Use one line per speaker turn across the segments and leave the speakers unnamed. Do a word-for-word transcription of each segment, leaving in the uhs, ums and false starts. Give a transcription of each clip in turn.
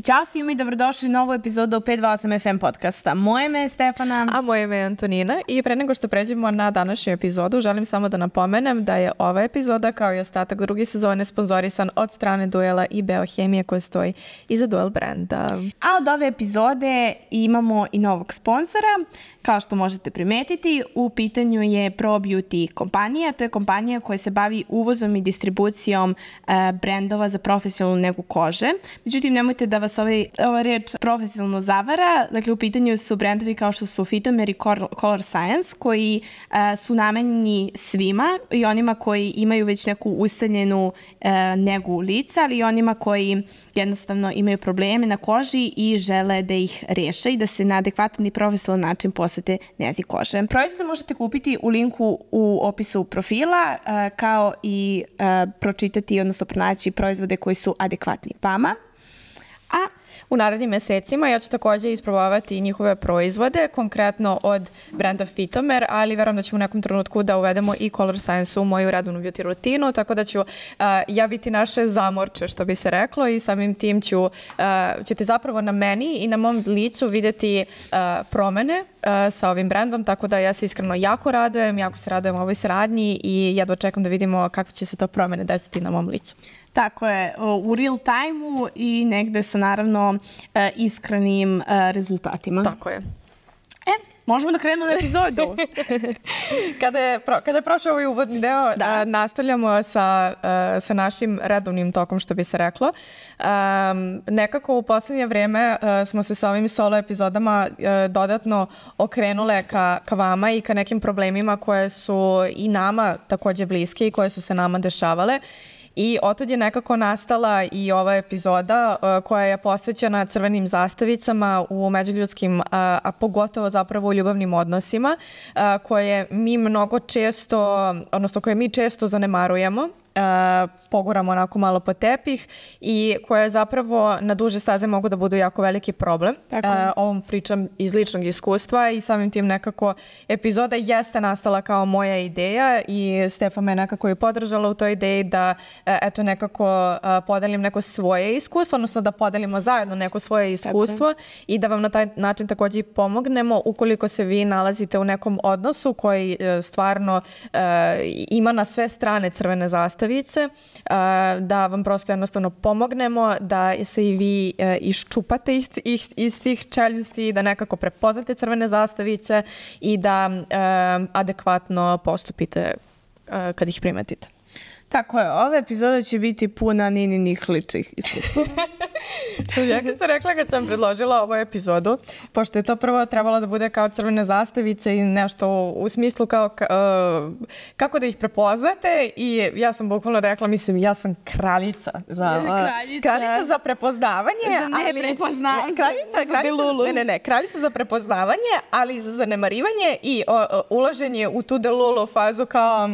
Ćao svima i dobrodošli u novu epizodu pet dva osam F M podcasta. Moje ime je Stefana.
A moje ime je Antonina i pre nego što pređemo na današnju epizodu, želim samo da napomenem da je ova epizoda kao i ostatak druge sezone sponzorisan od strane Duela i Beohemije koja stoji iza Duel brenda.
A od ove epizode imamo i novog sponzora. Kao što možete primetiti, u pitanju je ProBeauty kompanija. To je kompanija koja se bavi uvozom i distribucijom e, brendova za profesionalnu negu kože. Međutim, nemojte da vas ovaj, ova reč profesionalno zavara. Dakle, u pitanju su brendovi kao što su Fitomer i Color Science, koji e, su namenjeni svima i onima koji imaju već neku ustaljenu e, negu lica, ali i onima koji jednostavno imaju probleme na koži i žele da ih reše i da se na adekvatan i profesionalan način posvete nezi kože. Proizvode možete kupiti u linku u opisu profila, kao i pročitati, odnosno pronaći proizvode koji su adekvatni vama.
A u narednim mesecima ja ću takođe isprobavati njihove proizvode, konkretno od brenda Fitomer, ali verujem da ću u nekom trenutku da uvedemo i Color Science u moju redovnu beauty rutinu, tako da ću uh, ja biti naše zamorče, što bi se reklo, i samim tim ću, uh, ćete zapravo na meni i na mom licu vidjeti uh, promene uh, sa ovim brendom, tako da ja se iskreno jako radujem, jako se radujem ovoj saradnji i jedva čekam da vidimo kakve će se to promene desiti na mom licu.
Tako je, u real time-u i negde sa naravno iskrenim rezultatima.
Tako je.
E, možemo da krenemo na epizodu.
kada, je pro, kada je prošao ovaj uvodni deo, da. a, nastavljamo sa, a, sa našim redovnim tokom, što bi se reklo. A, nekako u poslednje vreme a, smo se sa ovim solo epizodama a, dodatno okrenule ka, ka vama i ka nekim problemima koje su i nama takođe bliske i koje su se nama dešavale. I otad je nekako nastala i ova epizoda uh, koja je posvećena crvenim zastavicama u međuljudskim, uh, a pogotovo zapravo u ljubavnim odnosima, uh, koje mi mnogo često, odnosno koje mi često zanemarujemo. Uh, poguramo onako malo po tepih i koje zapravo na duže staze mogu da budu jako veliki problem. Uh, ovom pričam iz ličnog iskustva i samim tim nekako epizoda jeste nastala kao moja ideja i Stefan me nekako je podržala u toj ideji da uh, eto nekako uh, podelim neko svoje iskustvo, odnosno da podelimo zajedno neko svoje iskustvo i da vam na taj način takođe i pomognemo ukoliko se vi nalazite u nekom odnosu koji uh, stvarno uh, ima na sve strane crvene zastave, da vam prosto jednostavno pomognemo da se i vi iščupate iz, iz, iz tih čeljusti, da nekako prepoznate crvene zastavice i da um, adekvatno postupite uh, kad ih primetite.
Tako je, ova epizoda će biti puna nininih ličnih iskustva.
Ja kad sam rekla, kad sam predložila ovu epizodu, pošto je to prvo trebalo da bude kao crvene zastavice i nešto u smislu kao uh, kako da ih prepoznate, i ja sam bukvalno rekla, mislim, ja sam kraljica za, uh,
kraljica.
kraljica za prepoznavanje,
za neprepoznavanje,
kraljica, kraljica, ne, ne, ne, kraljica za prepoznavanje, ali za zanemarivanje i uh, uh, ulaženje u tu delulu fazu kao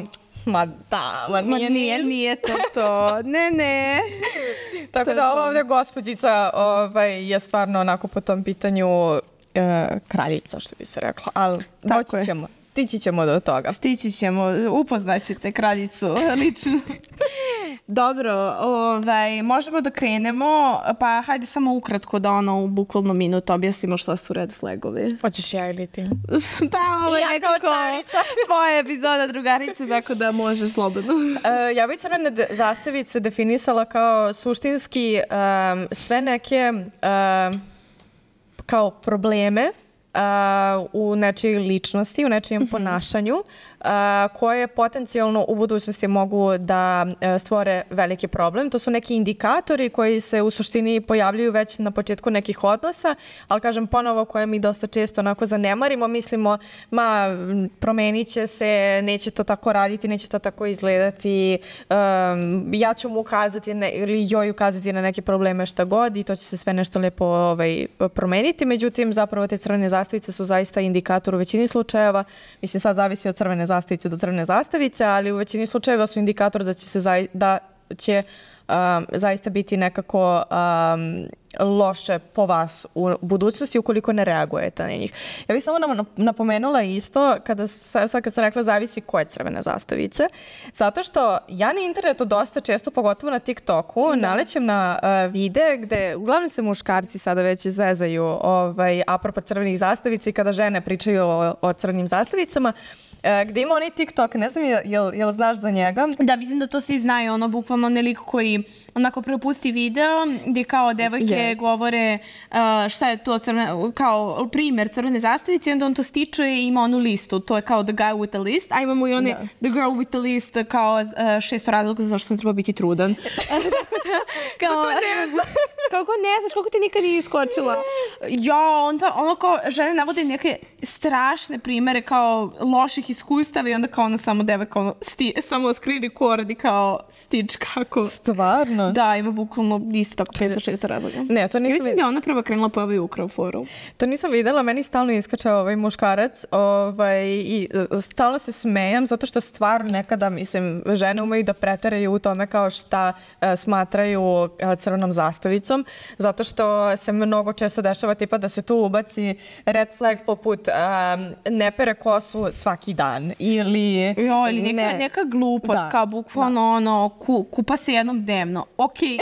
ma da, ma nije,
ma nije, nije to to, ne, ne.
Tako da ova ovdje gospođica ovaj, je stvarno onako po tom pitanju e, kraljica, što bi se rekla, ali doći ćemo, stići ćemo do toga.
Stići ćemo, upoznaćete kraljicu lično. Dobro, ovaj, možemo da krenemo, pa hajde samo ukratko da ono u bukvalno minut objasnimo šta su red flagovi.
Hoćeš ja ili ti?
Pa ovo je ja nekako tvoja epizoda, drugarice, tako da možeš slobodno.
uh, ja bih crvene zastavice definisala kao suštinski um, sve neke um, kao probleme Uh, u nečijoj ličnosti, u nečijem mm-hmm. ponašanju, uh, koje potencijalno u budućnosti mogu da uh, stvore veliki problem. To su neki indikatori koji se u suštini pojavljuju već na početku nekih odnosa, ali kažem ponovo koje mi dosta često onako zanemarimo, mislimo ma promenit će se, neće to tako raditi, neće to tako izgledati, um, ja ću mu ukazati ne, ili joj ukazati na neke probleme šta god i to će se sve nešto lepo ovaj, promeniti. Međutim, zapravo te crvene zastavice su zaista indikator u većini slučajeva. Mislim, sad zavisi od crvene zastavice do crvene zastavice, ali u većini slučajeva su indikator da će se zai, da će um, zaista biti nekako um, loše po vas u budućnosti ukoliko ne reagujete na njih. Ja bih samo nam napomenula isto, kada, sad kad sam rekla zavisi koje crvene zastavice, zato što ja na internetu dosta često, pogotovo na TikToku, da. nalećem na uh, videe gde uglavnom se muškarci sada već zezaju ovaj, apropo crvenih zastavica i kada žene pričaju o, o crvenim zastavicama, Uh, gde ima onaj TikTok, ne znam, jel, jel, jel znaš za njega?
Da, mislim da to svi znaju, ono, bukvalno onaj lik koji onako prepusti video gde kao devojke yes. govore uh, šta je to crvene, kao primer crvene zastavice i onda on to stiče i ima onu listu, to je kao the guy with the list, a imamo i one yeah. the girl with the list kao uh, šesto razloga zašto ne treba biti trudan. kao, kako ne znaš, kako ti nikad nije iskočila? Ja, onda ono kao žene navode neke strašne primere kao loših iskustava i onda kao ona samo devojka ono, sti, samo screen record i kao stič kako...
Stvarno?
Da, ima bukvalno isto tako petsto šesto razloga.
Ne, to nisam
videla. Mislim da je ona prva krenula po ovaj ukrao foru.
To nisam videla, meni stalno iskače ovaj muškarac ovaj, i stalno se smejam zato što stvarno nekada, mislim, žene umeju da preteraju u tome kao šta uh, smatraju uh, crvenom zastavicom, zato što se mnogo često dešava tipa da se tu ubaci red flag poput um, ne pere kosu svaki dan ili...
Jo, ili neka, ne. neka glupost, da. kao bukvalno da. ono, ku, kupa se jednom dnevno. Ok, i...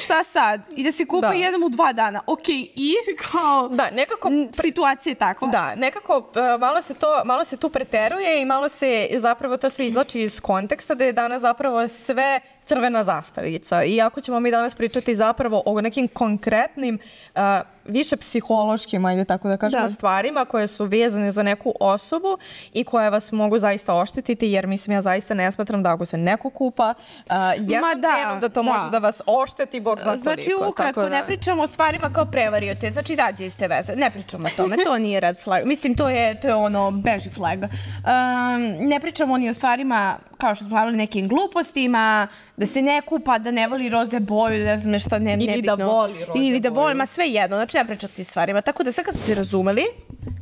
Šta sad? I da se kupa da. jednom u dva dana. Ok, i kao...
Da, nekako...
Situacija je takva.
Da, nekako uh, malo, se to, malo se tu preteruje i malo se zapravo to sve izlači iz konteksta da je danas zapravo sve crvena zastavica. I ako ćemo mi danas pričati zapravo o nekim konkretnim, uh, više psihološkim, ajde tako da kažemo, da. stvarima koje su vezane za neku osobu i koje vas mogu zaista oštetiti, jer mislim ja zaista ne smatram da ako se neko kupa uh, jednom da, dnevnom da to da. može da vas ošteti, Bog zna koliko.
Znači ukratko, da... ne pričamo o stvarima kao prevario te, znači izađe iz te veze, ne pričamo o tome, to nije red flag, mislim to je, to je ono beži flag. Um, ne pričamo ni o stvarima kao što smo pravili nekim glupostima, da se ne kupa, da ne voli roze boju, ne znam šta, ne, nebitno.
Ili da voli roze boju.
Ili da voli, ma sve jedno, znači ne pričati tim stvarima. Tako da sad kad smo se razumeli,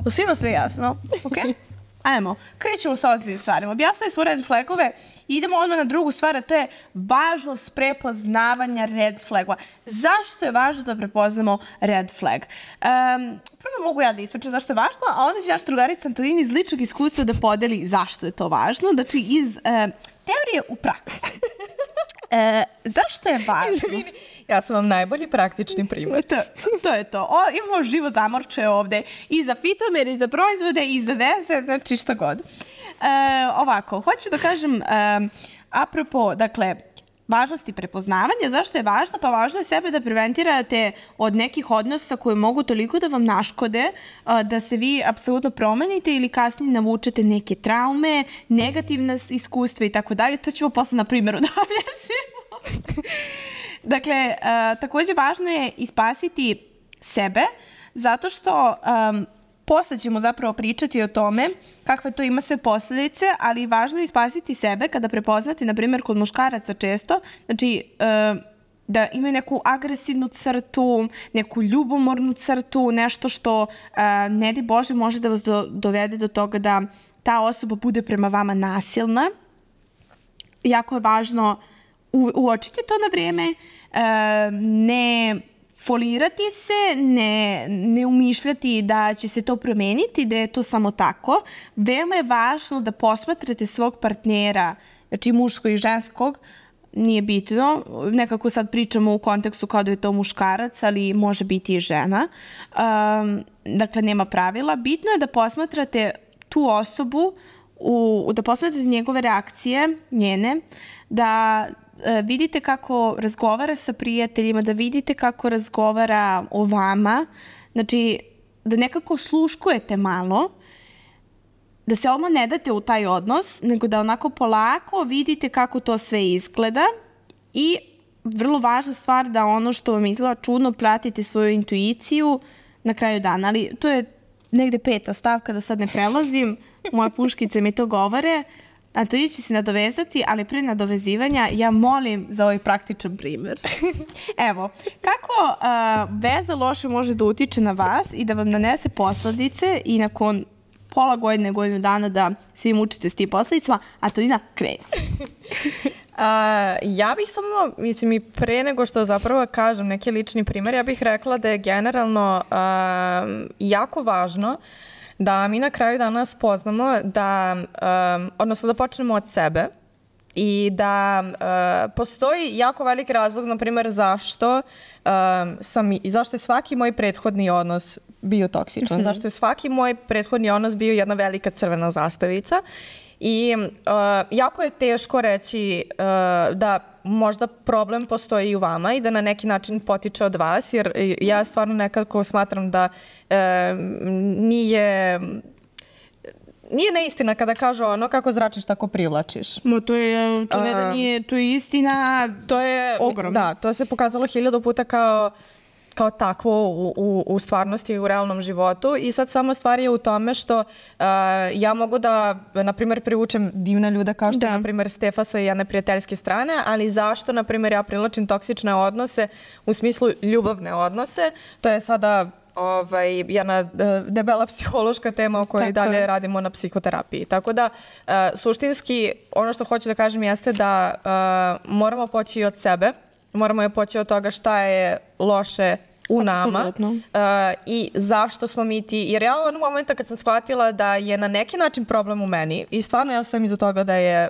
svima sve jasno, okej? Okay? Ajmo, krećemo sa ozbiljnim stvarima. Objasnili smo red flagove i idemo odmah na drugu stvar, a to je važnost prepoznavanja red flagova. Zašto je važno da prepoznamo red flag? Um, prvo mogu ja da ispričam zašto je važno, a onda će naš drugarica Antonina iz ličnog iskustva da podeli zašto je to važno. Znači, iz uh, teorije u praksi. E, zašto je važno?
Izvini, ja sam vam najbolji praktični primjer.
To, to je to. O, imamo živo zamorče ovde i za fitomere, i za proizvode, i za veze, znači šta god. E, ovako, hoću da kažem, e, apropo, dakle, važnosti prepoznavanja. Zašto je važno? Pa važno je sebe da preventirate od nekih odnosa koji mogu toliko da vam naškode, da se vi apsolutno promenite ili kasnije navučete neke traume, negativne iskustva i tako dalje. To ćemo posle na primjeru da objasnimo. Dakle, takođe važno je ispasiti sebe, zato što um, posle ćemo zapravo pričati o tome kakve to ima sve posledice, ali važno je ispasiti sebe kada prepoznate, na primjer, kod muškaraca često, znači da imaju neku agresivnu crtu, neku ljubomornu crtu, nešto što, ne di Bože, može da vas do, dovede do toga da ta osoba bude prema vama nasilna. Jako je važno u, uočiti to na vrijeme, ne folirati se, ne, ne umišljati da će se to promeniti, da je to samo tako. Veoma je važno da posmatrate svog partnera, znači muškog i ženskog, nije bitno, nekako sad pričamo u kontekstu kao da je to muškarac, ali može biti i žena. Um, dakle, nema pravila. Bitno je da posmatrate tu osobu, u, da posmatrate njegove reakcije, njene, da vidite kako razgovara sa prijateljima, da vidite kako razgovara o vama, znači da nekako sluškujete malo, da se odmah ne date u taj odnos, nego da onako polako vidite kako to sve izgleda i vrlo važna stvar da ono što vam izgleda čudno pratite svoju intuiciju na kraju dana, ali to je negde peta stavka da sad ne prelazim, moje puškice mi to govore. A to će se nadovezati, ali pre nadovezivanja ja molim za ovaj praktičan primjer. Evo, kako uh, veza loše može da utiče na vas i da vam nanese posledice i nakon pola godine, godinu dana da svi mučite s tim posledicama, a Antonina krene.
ja bih samo, mislim i pre nego što zapravo kažem neki lični primjer, ja bih rekla da je generalno uh, jako važno da mi na kraju dana spoznamo da, um, odnosno da počnemo od sebe i da uh, postoji jako veliki razlog, na primjer, zašto, um, sam, zašto je svaki moj prethodni odnos bio toksičan, mm-hmm. zašto je svaki moj prethodni odnos bio jedna velika crvena zastavica. I uh, jako je teško reći uh, da možda problem postoji i u vama i da na neki način potiče od vas, jer ja stvarno nekako smatram da uh, nije... Nije neistina kada kažu ono kako zračiš tako privlačiš.
No, to je, to ne da nije, to je istina
to je,
ogromna.
Da, to se pokazalo hiljadu puta kao kao takvo u, u, u stvarnosti i u realnom životu i sad samo stvar je u tome što uh, ja mogu da, na primjer, privučem divne ljude kao što, da. na primjer, Stefa sa jedne prijateljske strane, ali zašto, na primjer, ja privlačim toksične odnose u smislu ljubavne odnose, to je sada ovaj, jedna debela psihološka tema o kojoj Tako dalje je. radimo na psihoterapiji. Tako da, uh, suštinski, ono što hoću da kažem jeste da uh, moramo poći od sebe, moramo je poći od toga šta je loše u nama uh, i zašto smo mi ti, jer ja onog momenta kad sam shvatila da je na neki način problem u meni i stvarno ja stojim iza toga da je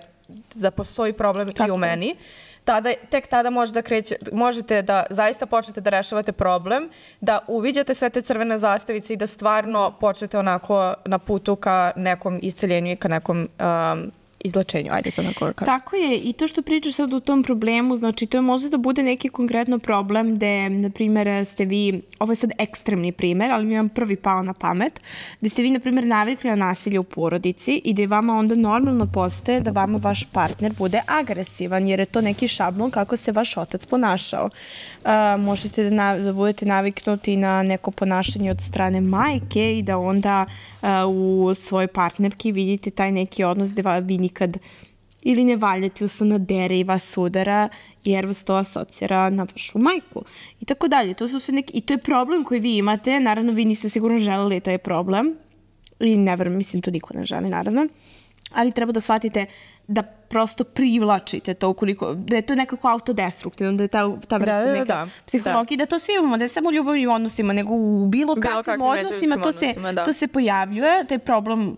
da postoji problem Tako. i u meni, tada, tek tada može da kreće, možete da zaista počnete da rešavate problem, da uviđate sve te crvene zastavice i da stvarno počnete onako na putu ka nekom isceljenju i ka nekom um, izlečenju, ajde to onako kažem.
Tako je, i to što pričaš sad o tom problemu, znači to je možda da bude neki konkretno problem gde, na primjer, ste vi, ovo je sad ekstremni primjer, ali mi vam prvi pao na pamet, gde ste vi, na primjer, navikli na nasilje u porodici i gde vama onda normalno postaje da vama vaš partner bude agresivan, jer je to neki šablon kako se vaš otac ponašao. Uh, možete da, na, da budete naviknuti na neko ponašanje od strane majke i da onda uh, u svojoj partnerki vidite taj neki odnos gde vi nikad ili ne valjate ili se nadere i vas udara jer vas to asocira na vašu majku i tako dalje. To su sve neki, i to je problem koji vi imate, naravno vi niste sigurno želeli taj problem i ne verujem, mislim to niko ne želi naravno, ali treba da shvatite da prosto privlačite to ukoliko, da je to nekako autodestruktivno, da je ta, ta vrsta da, neka da, psihologija, da. da to svi imamo, da je samo u ljubavnim odnosima, nego u bilo, bilo kakvim odnosima, to se, da. to se pojavljuje, taj problem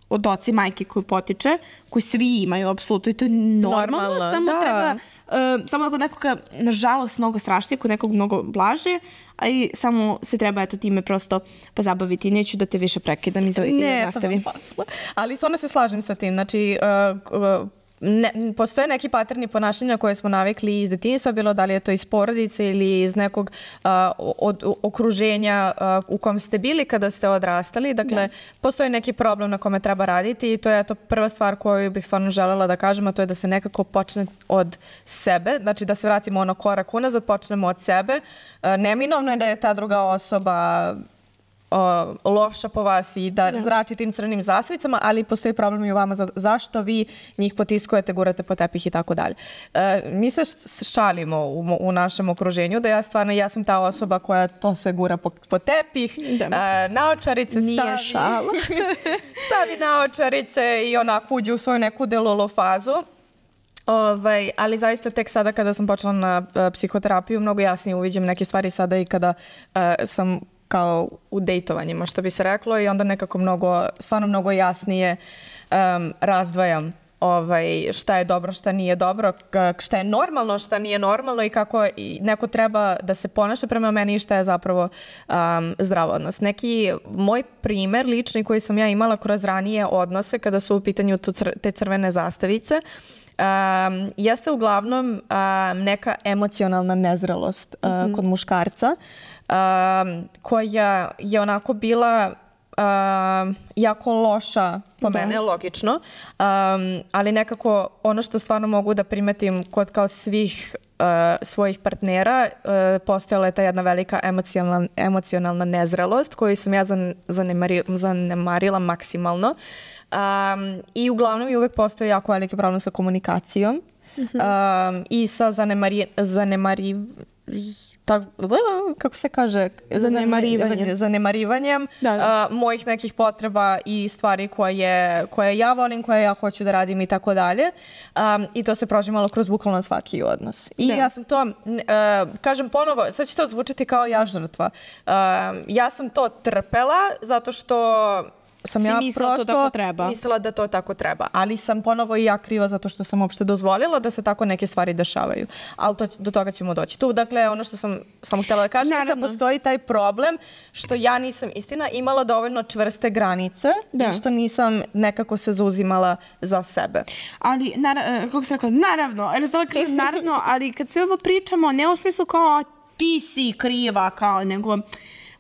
od oca i majke koji potiče, koji svi imaju, apsolutno, i to je normalno, normalno samo da. treba, uh, samo kod nekoga, nažalost, mnogo strašnije, kod nekog mnogo blaže, a i samo se treba eto time prosto pozabaviti. Neću da te više prekidam i
ne,
nastavim.
Ne, ali stvarno se slažem sa tim, znači, uh, uh, Ne, postoje neki paterni ponašanja koje smo navikli iz detinjstva, bilo da li je to iz porodice ili iz nekog uh, od, okruženja uh, u kom ste bili kada ste odrastali. Dakle, da. postoji neki problem na kome treba raditi i to je to prva stvar koju bih stvarno želela da kažem, a to je da se nekako počne od sebe, znači da se vratimo ono korak unazad, počnemo od sebe. Uh, neminovno je da je ta druga osoba O, loša po vas i da zrači tim crvenim zastavicama, ali postoji problem i u vama za, zašto vi njih potiskujete, gurate po tepih i tako dalje. E, mi se šalimo u, u našem okruženju da ja stvarno, ja sam ta osoba koja to sve gura po, po tepih, e, naočarice
Nije
stavi,
šala.
stavi naočarice i onako uđe u svoju neku delulu fazu. Ovaj, ali zaista tek sada kada sam počela na uh, psihoterapiju, mnogo jasnije uviđem neke stvari sada i kada uh, sam kao u dejtovanjima, što bi se reklo, i onda nekako mnogo, stvarno mnogo jasnije um, razdvajam ovaj, šta je dobro, šta nije dobro, šta je normalno, šta nije normalno i kako i neko treba da se ponaša prema meni i šta je zapravo um, zdrav odnos. Neki moj primer lični koji sam ja imala kroz ranije odnose kada su u pitanju cr te crvene zastavice, Um, jeste uglavnom um, neka emocionalna nezrelost uh, mm-hmm. kod muškarca um, koja je onako bila um, jako loša po da. mene, logično, um, ali nekako ono što stvarno mogu da primetim kod kao svih uh, svojih partnera, uh, postojala je ta jedna velika emocionalna, emocionalna nezrelost koju sam ja zan, zanemari, zanemarila maksimalno. Um, I uglavnom i uvek postoji jako veliki problem sa komunikacijom mm-hmm. um, i sa zanemari, zanemari, tak, kako se kaže,
zanemarivanjem,
zanemarivanjem da, da. Uh, mojih nekih potreba i stvari koje, koje ja volim, koje ja hoću da radim i tako dalje. Um, I to se prožimalo kroz bukvalno svaki odnos. I da. ja sam to, uh, kažem ponovo, sad će to zvučati kao ja žrtva. Uh, ja sam to trpela zato što sam
si
ja
mislila
prosto
to tako treba.
mislila da to tako treba. Ali sam ponovo i ja kriva zato što sam uopšte dozvolila da se tako neke stvari dešavaju. Ali to, do toga ćemo doći. Tu, dakle, ono što sam samo htjela da kažem, da postoji taj problem što ja nisam, istina, imala dovoljno čvrste granice da. i što nisam nekako se zauzimala za sebe.
Ali, kako sam rekla, naravno, naravno, ali kad sve ovo pričamo, ne u smislu kao ti si kriva, kao nego...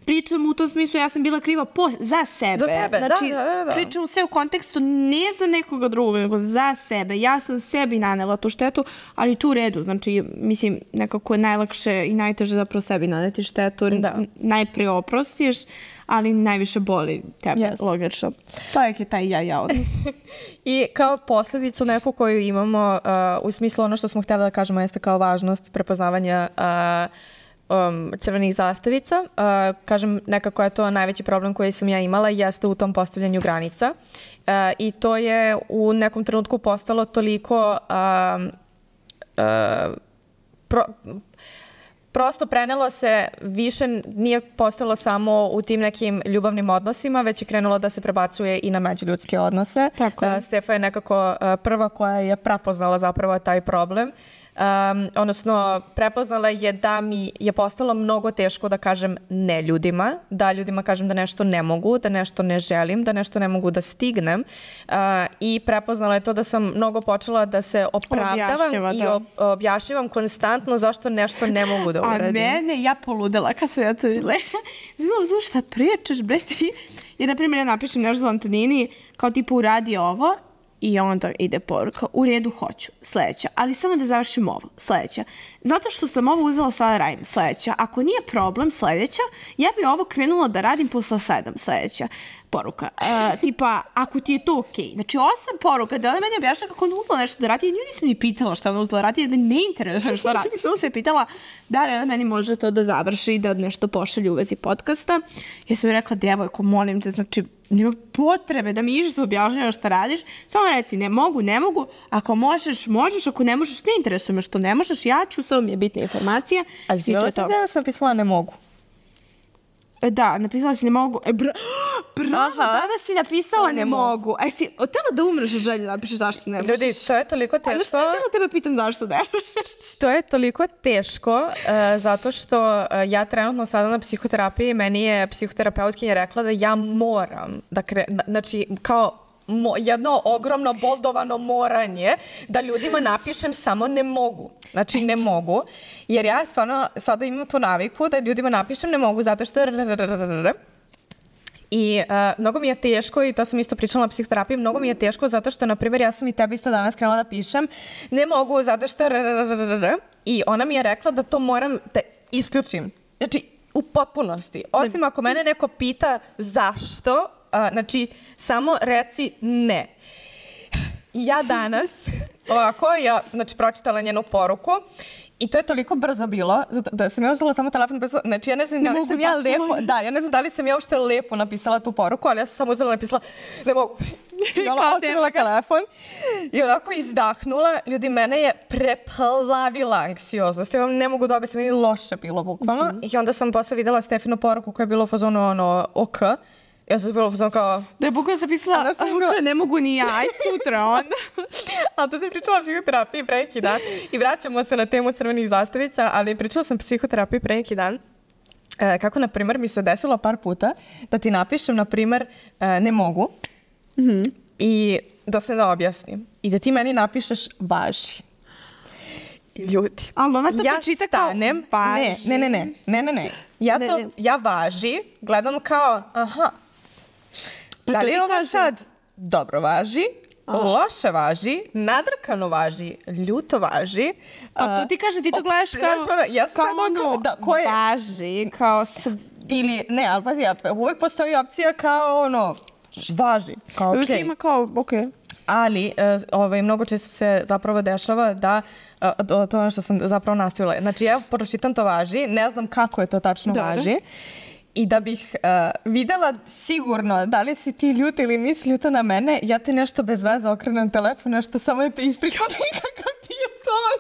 Pričam u tom smislu, ja sam bila kriva po, za sebe.
Za sebe,
znači,
da, da, da.
Pričam sve u kontekstu ne za nekoga drugog, nego za sebe. Ja sam sebi nanela tu štetu, ali tu u redu. Znači, mislim, nekako je najlakše i najteže zapravo sebi naneti štetu. Da. Najprije oprostiš, ali najviše boli tebe, yes. logično. Svakak je taj ja-ja odnos.
I kao posljedicu neku koju imamo, uh, u smislu ono što smo htjeli da kažemo jeste kao važnost prepoznavanja uh, Um, crvenih zastavica. Uh, kažem, nekako je to najveći problem koji sam ja imala jeste u tom postavljanju granica. Uh, I to je u nekom trenutku postalo toliko um, uh, pro, prosto prenelo se više, nije postalo samo u tim nekim ljubavnim odnosima, već je krenulo da se prebacuje i na međuljudske odnose.
Tako.
Uh, Stefa je nekako uh, prva koja je prepoznala zapravo taj problem. Um, odnosno, prepoznala je da mi je postalo mnogo teško da kažem ne ljudima, da ljudima kažem da nešto ne mogu, da nešto ne želim, da nešto ne mogu da stignem uh, i prepoznala je to da sam mnogo počela da se opravdavam Objašnjava, i ob, objašnjavam konstantno zašto nešto ne mogu da uradim.
A mene, ja poludela kad sam ja to videla. Znam, šta pričaš, bre ti? Ja, na primjer, ja napišem nešto za Antonini, kao tipu uradi ovo, i onda ide poruka, u redu hoću, sledeća, ali samo da završim ovo, sledeća. Zato što sam ovo uzela sada radim, sledeća. Ako nije problem, sledeća, ja bi ovo krenula da radim posle sedam, sledeća poruka. Uh, tipa, ako ti je to okej. Okay. Znači, osam poruka, da ona meni objašnja kako ona uzela nešto da radi, nju nisam ni pitala šta ona uzela radi, jer me ne interesuje što radi. Samo se je pitala da li ona meni može to da završi, da nešto pošalje u vezi podcasta. Ja sam joj rekla, devojko, molim te, znači, nema potrebe da mi išta objašnjava šta radiš. Samo reci, ne mogu, ne mogu. Ako možeš, možeš. Ako ne možeš, ne interesuje me što ne možeš. Ja ću, samo mi je bitna informacija.
Ali si bila sam da sam napisala ne mogu.
Da, napisala si ne mogu. E, bra, bravo, danas si napisala ne, ne mogu. A si otela da umreš u želji da napišeš zašto ne možeš?
Ljudi, to je toliko teško. Ali što
htjela tebe pitam zašto ne možeš?
To je toliko teško uh, zato što uh, ja trenutno sada na psihoterapiji, meni je psihoterapeutkinja rekla da ja moram da kre... Znači, kao Mo, jedno ogromno boldovano moranje da ljudima napišem samo ne mogu. Znači ne mogu. Jer ja stvarno sada imam tu naviku da ljudima napišem ne mogu zato što i uh, mnogo mi je teško i to sam isto pričala na psihoterapiji, mnogo mi je teško zato što, na primjer, ja sam i tebi isto danas krenula da pišem ne mogu zato što i ona mi je rekla da to moram da isključim. Znači, u potpunosti. Osim ako mene neko pita zašto, Uh, znači, samo reci ne. Ja danas, ovako, ja, znači, pročitala njenu poruku i to je toliko brzo bilo, da sam ja uzela samo telefon brzo, znači, ja ne znam da li sam ja lepo, da, ja ne znam da li sam ja uopšte lepo napisala tu poruku, ali ja sam samo uzela i napisala, ne mogu. I ona ostavila telefon i onako izdahnula. Ljudi, mene je preplavila anksioznost. Ja vam ne mogu da objasnim, meni loše bilo, bukvalno. Mm -hmm. I onda sam posle videla Stefinu poruku koja je bila u fazonu, ono, ok. Ja sam bila sam kao...
Da je bukvalno sam pisala, a, bila... ne mogu ni ja, aj sutra onda.
Ali to sam pričala o psihoterapiji pre neki dan i vraćamo se na temu crvenih zastavica, ali pričala sam o psihoterapiji pre neki dan. E, kako, na primjer, mi se desilo par puta da ti napišem, na primjer, e, ne mogu mm -hmm. i da se da objasnim. I da ti meni napišeš važi. Ljudi,
ali ona to
ja
čita kao važi.
Ne, ne, ne, ne, ne, ne. Ja to, ja važi, gledam kao, aha,
pa
da li je ovo sad dobro važi, aha, loše važi, nadrkano važi, ljuto važi.
Pa to ti kaže, ti to gledaš kao,
ja
kao ono da, koje, važi, kao sv...
Ili, ne, ali pazi, uvijek postoji opcija kao ono, važi, kao okej.
Okay. Uvijek ima kao, okej. Okay.
ali ovaj, mnogo često se zapravo dešava da to, to ono što sam zapravo nastavila. Znači, ja pročitam to važi, ne znam kako je to tačno Dobre. važi. I da bih uh, videla sigurno da li si ti ljuta ili nisi ljuta na mene, ja ti nešto bez veze okrenem telefon, nešto samo da te ispričam kakav ti je ton.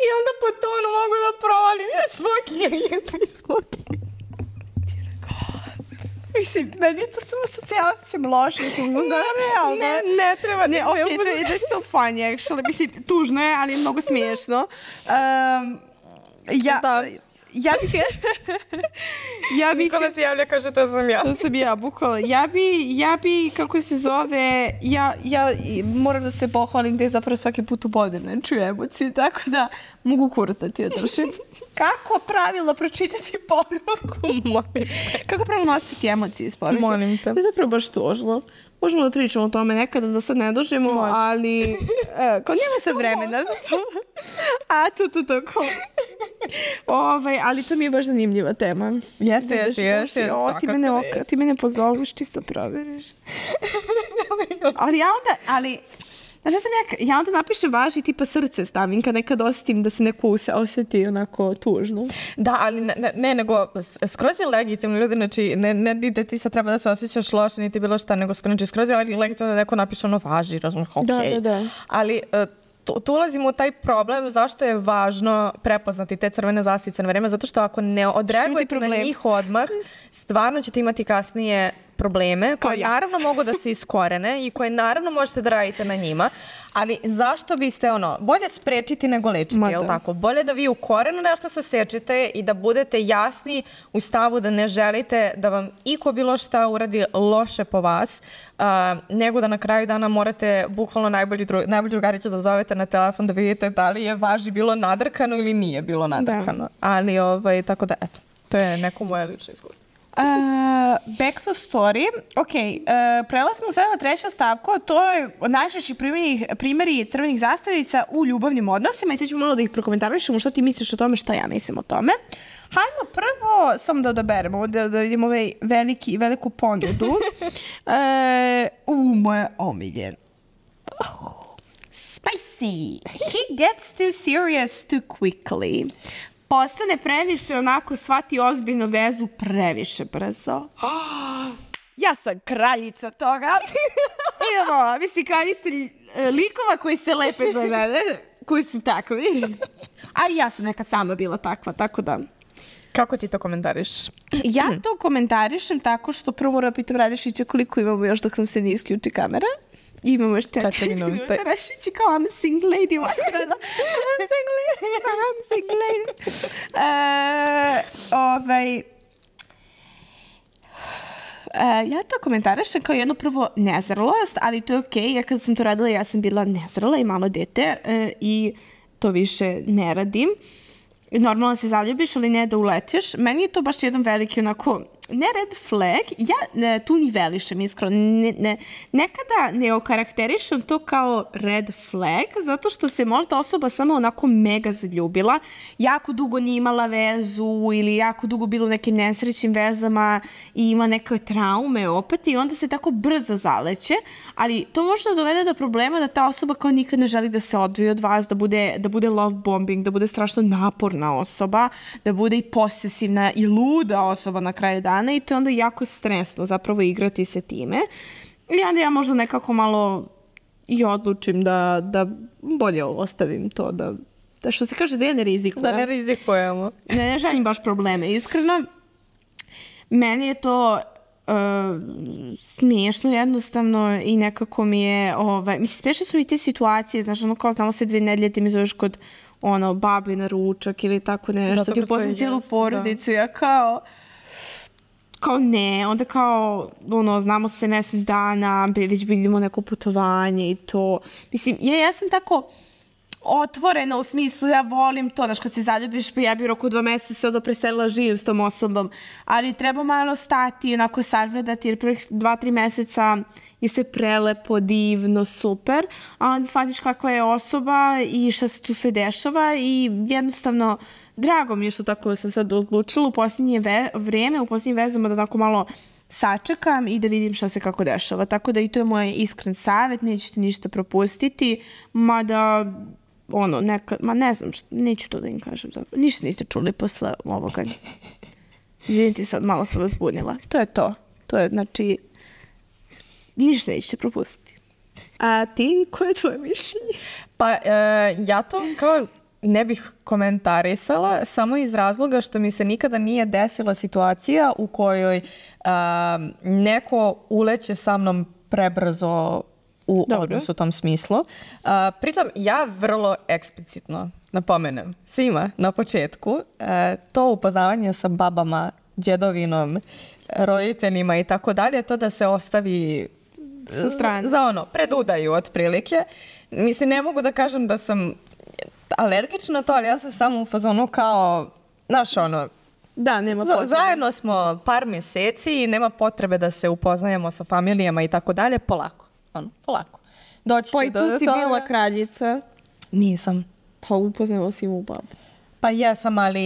I onda po tonu mogu da provalim. Ja svoki, ja svoki.
Mislim, meni to samo što se ja osjećam loše, mislim, znam da je realno.
Ne, ne treba.
Ne, ok, to je that's so funny, actually. Mislim, tužno je, ali je mnogo smiješno. Um, ja... Da. Ja bih...
ja bih... Nikola se javlja, kaže, to sam ja.
To sam ja, bukvalno. Ja bi, ja bi, kako se zove, ja, ja moram da se pohvalim da je zapravo svaki put u bode ne čuju emocije, tako da mogu kurtati održim. Kako pravilno pročitati poruku? Molim te. Kako pravilno nositi emocije iz poruke?
Molim te.
To je zapravo baš tužno. Možemo da pričamo o tome nekada, da sad ne dužimo, Može. ali e, kao nema sad vremena za to. A, to, to, to, kao... Ovaj, ali to mi je baš zanimljiva tema.
Jeste, jeste, jeste.
Ti mene, oka, ti mene pozoveš, čisto proveriš. ali ja onda, ali... Znaš, ja, sam ja, ja onda napišem važi tipa srce stavim kad nekad osjetim da se neko osjeti onako tužno.
Da, ali ne, ne nego skroz je legitimno ljudi, znači ne, ne da ti sad treba da se osjećaš loše niti bilo šta, nego znači, skroz je legitimno da neko napiše ono važi, razumiješ, ok.
Da, da, da.
Ali... Tu, tu ulazimo u taj problem zašto je važno prepoznati te crvene zastavice na vreme, zato što ako ne odreagujete na njih odmah, stvarno ćete imati kasnije probleme koje ja. naravno mogu da se iskorene i koje naravno možete da radite na njima, ali zašto biste ono, bolje sprečiti nego lečiti, je li tako? Bolje da vi u korenu nešto se sečete i da budete jasni u stavu da ne želite da vam iko bilo šta uradi loše po vas, uh, nego da na kraju dana morate bukvalno najbolji, dru, najbolji drugaricu da zovete na telefon da vidite da li je važi bilo nadrkano ili nije bilo nadrkano. Da. Ali ovaj, tako da, eto, to je neko moje lično iskustvo.
Uh, back to story. Ok, uh, prelazimo sada na treću stavku, to je najčešći primjeri, primjeri crvenih zastavica u ljubavnim odnosima i sad ću malo da ih prokomentarišemo šta ti misliš o tome, šta ja mislim o tome. Hajmo prvo, samo da odaberemo, da, da vidimo ovaj veliki, veliku ponudu. uh, u, moje omiljen. Oh, spicy. He gets too serious too quickly. Postane previše, onako, shvati ozbiljno vezu previše brzo. Oh, ja sam kraljica toga. Idemo, mislim, kraljica likova koji se lepe za mene, koji su takvi. A ja sam nekad sama bila takva, tako da...
Kako ti to komentariš?
Ja to komentarišem tako što prvo moram pitam Radišića koliko imamo još dok sam se ne isključi kamera. Imamo još četiri minuta. Rašići kao I'm a single lady. I'm single lady. I'm single lady. Uh, ovaj... Uh, ja to komentarišem kao jedno prvo nezralost, ali to je okej. Okay. Ja kad sam to radila, ja sam bila nezrala i malo dete uh, i to više ne radim. Normalno se zaljubiš, ali ne da uletiš. Meni je to baš jedan veliki onako, ne red flag, ja ne, tu nivelišem iskreno. Ne, ne, nekada ne okarakterišem to kao red flag, zato što se možda osoba samo onako mega zaljubila, jako dugo nije imala vezu ili jako dugo bilo u nekim nesrećnim vezama i ima neke traume opet i onda se tako brzo zaleće, ali to može da dovede do problema da ta osoba kao nikad ne želi da se odvoji od vas, da bude, da bude love bombing, da bude strašno naporna osoba, da bude i posesivna i luda osoba na kraju dana i to je onda jako stresno zapravo igrati se time. I onda ja možda nekako malo i odlučim da, da bolje ostavim to, da, da što se kaže da ja ne rizikujem.
Da ne rizikujemo.
Ne, ne želim baš probleme, iskreno. Meni je to uh, smiješno jednostavno i nekako mi je, ovaj, mislim, smiješno su mi te situacije, znaš, ono kao znamo se dve nedelje, ti mi zoveš kod ono, babi na ručak ili tako nešto, da, ti upoznam cijelu porodicu, da. Ja kao, kao ne, onda kao, ono, znamo se mjesec dana, već vidimo neko putovanje i to, mislim, ja, ja sam tako otvorena u smislu, ja volim to, znaš, kad se zaljubiš, pa ja bi roku dva mjeseca se onda preselila živim s tom osobom, ali treba malo stati, onako sagledati, jer prvih dva, tri mjeseca je sve prelepo, divno, super, a onda shvatiš kakva je osoba i šta se tu sve dešava i jednostavno, drago mi je što tako sam sad odlučila u posljednje ve- vrijeme, u posljednjim vezama da tako malo sačekam i da vidim šta se kako dešava. Tako da i to je moj iskren savjet, nećete ništa propustiti, mada, ono, neka, ma ne znam, šta, neću to da im kažem zapravo. Ništa niste čuli posle ovoga. Izvinite, sad malo sam vas bunila. To je to. To je, znači, ništa nećete propustiti. A ti, koje je tvoje mišljenje?
Pa, e, ja to kao ne bih komentarisala samo iz razloga što mi se nikada nije desila situacija u kojoj a, neko uleće sa mnom prebrzo u Dobro. odnosu u tom smislu. A, pritom ja vrlo eksplicitno napomenem svima na početku a, to upoznavanje sa babama, djedovinom, roditeljima i tako dalje, to da se ostavi
sa strane.
Za ono, pred udaju otprilike. Mislim, ne mogu da kažem da sam alergična na to, ali ja sam samo u fazonu kao, znaš ono,
da, nema potrebe.
Zajedno smo par mjeseci i nema potrebe da se upoznajemo sa familijama i tako dalje, polako, ono, polako. Doći
pa i tu
do
si
toga.
bila kraljica.
Nisam.
Pa upoznala si mu babu.
Pa jesam, ali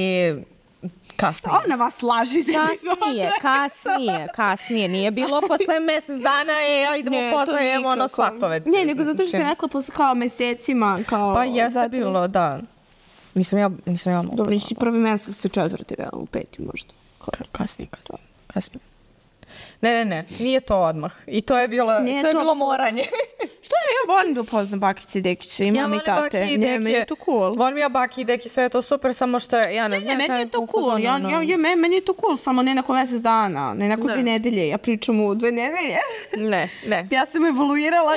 kasnije.
Ona vas laži za
Kasnije, kasnije, kasnije. Nije bilo posle mjesec dana i idemo poznajemo ono svatovec.
Ne, nego zato što se rekla posle kao mjesecima. Kao
pa jeste zato... bilo, da. Nisam ja, nisam ja
Dobro, nisi prvi mjesec, se četvrti, realno, u peti možda.
Ka, kasnije, kasnije, kasnije. Ne, ne, ne, nije to odmah. I to je bilo,
nije
to je
to
bilo moranje.
Što je, ja volim da upoznam bakice i dekice, imam ja i tate.
I
ne, meni je to cool.
Volim ja baki i deki, sve je to super, samo što ja ne, ne znam.
Ne, meni je to cool, ja, ja, ja, meni je to cool, samo ne nakon mjesec dana, ne nakon dve nedelje, ja pričam u dve nedelje.
Ne, ne.
Ja sam evoluirala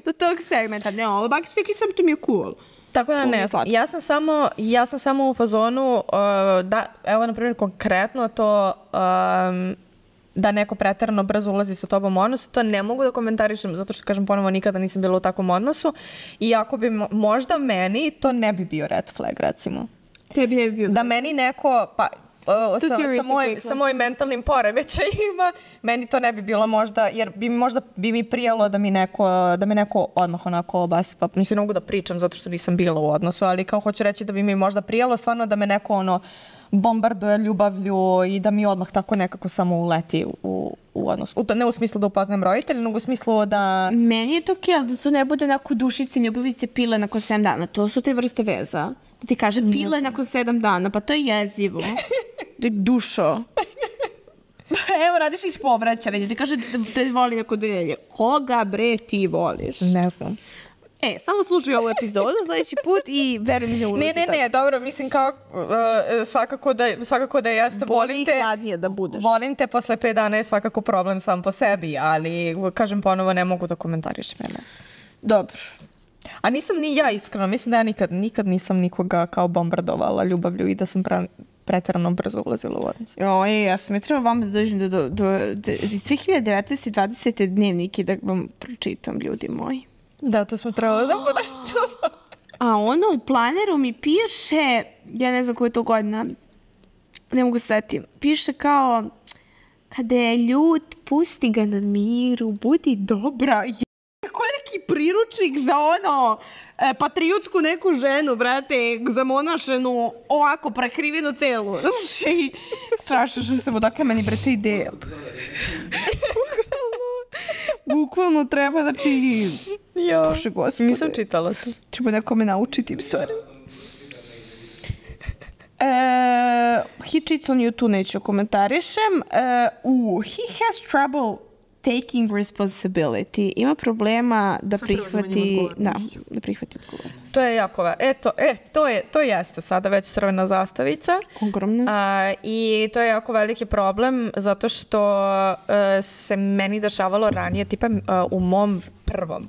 do tog segmenta, ne, ovo bakice i dekice, to mi je cool.
Tako da ne, ja sam samo, ja sam samo u fazonu, uh, da, evo na primjer konkretno to, um, da neko pretjerano brzo ulazi sa tobom u odnos, to ne mogu da komentarišem, zato što, kažem ponovo, nikada nisam bila u takvom odnosu. I ako bi možda meni, to ne bi bio red flag, recimo.
Tebi ne bi bio.
Da meni neko, pa, uh, sa, sa, moj, sa mojim mentalnim poremećajima, meni to ne bi bilo možda, jer bi mi možda bi mi prijalo da mi neko, da mi neko odmah onako obasi, pa mislim, ne mogu da pričam zato što nisam bila u odnosu, ali kao hoću reći da bi mi možda prijalo stvarno da me neko ono bombarduje ljubavlju i da mi odmah tako nekako samo uleti u, u odnos. U to, ne u smislu da upoznajem roditelja, nego u smislu da...
Meni je to okej, ali da to ne bude neko dušice, ljubavice, pile nakon sedam dana. To su te vrste veza. Da ti kaže pile nakon sedam dana, pa to je jezivo. Dušo. Evo, radiš iz povraća, već ti kaže da te voli neko dve nedelje. Koga, bre, ti voliš?
Ne znam.
E, samo slušaj ovu epizodu sljedeći put i veruj mi ne ulazi.
Ne, ne, ne, dobro, mislim kao uh, svakako da, svakako da jeste.
Volim te, hladnije da budeš.
Volim te posle pet dana je svakako problem sam po sebi, ali kažem ponovo ne mogu da komentariš mene.
Dobro.
A nisam ni ja iskreno, mislim da ja nikad, nikad nisam nikoga kao bombardovala ljubavlju i da sam pra, pretjerano brzo ulazila u odnos.
Oj, ja sam je trebala vam da dođem do, do, do, do iz dve hiljade devetnaeste. dvadesete dnevnike da vam pročitam, ljudi moji.
Da, to smo trebali da podesamo.
A ono u planeru mi piše, ja ne znam koja je to godina, ne mogu setiti, piše kao, kada je ljut, pusti ga na miru, budi dobra. Kako je neki priručnik za ono, e, patriotsku neku ženu, brate, zamonašenu, ovako prekrivenu celu. Znači, strašno što sam odakle meni, brate, ideja. Bukvalno treba, znači...
Jo, Bože gospode. Nisam čitala to.
Treba nekome naučiti, sorry. E, Hičicon ju tu neću komentarišem. E, uh, he has trouble taking responsibility. Ima problema da prihvati... Da, da prihvati odgovornost.
To je jako va. Eto, e, to, je, to jeste sada već crvena zastavica.
Ogromna.
A, I to je jako veliki problem zato što uh, se meni dešavalo ranije, tipa uh, u mom prvom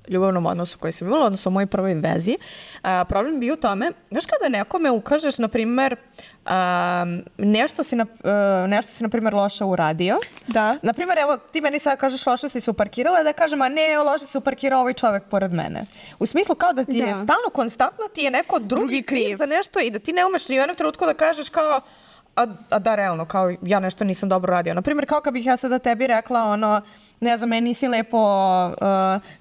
ljubavnom odnosu koji sam imala, odnosno u mojoj prvoj vezi. Uh, problem bi u tome, znaš kada nekome ukažeš, na primjer, uh, nešto si, na, uh, nešto si, na primjer, loše uradio.
Da.
Na primjer, evo, ti meni sad kažeš loše si se uparkirala, da kažem, a ne, loše se uparkirao ovaj čovjek pored mene. U smislu kao da ti da. je stalno, konstantno ti je neko drugi, drugi kriv. kriv za nešto i da ti ne umeš ni u jednom trenutku da kažeš kao, a, a da, realno, kao ja nešto nisam dobro radio. Na primjer, kao kad bih ja sada tebi rekla, ono, ne znam, meni nisi lepo uh,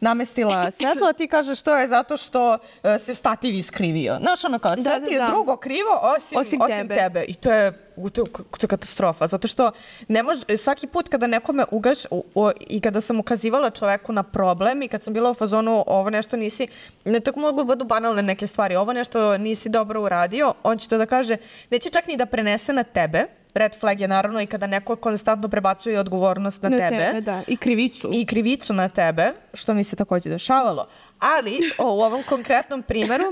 namestila svetlo, a ti kažeš to je zato što uh, se stativ iskrivio. Znaš, ono kao, sve
Da, da,
ti je
da.
drugo krivo osim,
Osim
osim
tebe.
tebe. I to je, to je, to je katastrofa, zato što ne može, svaki put kada nekome ugaš o, o, i kada sam ukazivala čoveku na problem i kad sam bila u fazonu ovo nešto nisi, ne tako mogu da budu banalne neke stvari, ovo nešto nisi dobro uradio, on će to da kaže, neće čak ni da prenese na tebe. Red flag je naravno i kada neko konstantno prebacuje odgovornost na,
Na
tebe.
tebe, da. I krivicu.
I krivicu na tebe, što mi se takođe dešavalo. Ali o, u ovom konkretnom primeru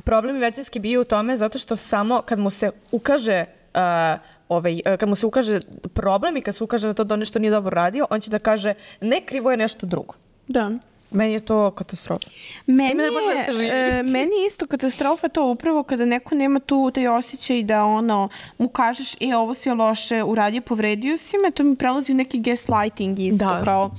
problem je većinski bio u tome zato što samo kad mu se ukaže uh, ovaj, kad mu se ukaže problem i kad se ukaže na to da on nešto nije dobro radio, on će da kaže ne, krivo je nešto drugo.
Da.
Meni je to katastrofa.
Meni
ne može da se
je,
živi.
e, meni je isto katastrofa to upravo kada neko nema tu taj osjećaj da ono, mu kažeš, e, ovo si loše uradio, povredio si me, to mi prelazi u neki gaslighting isto,
Da.
kao,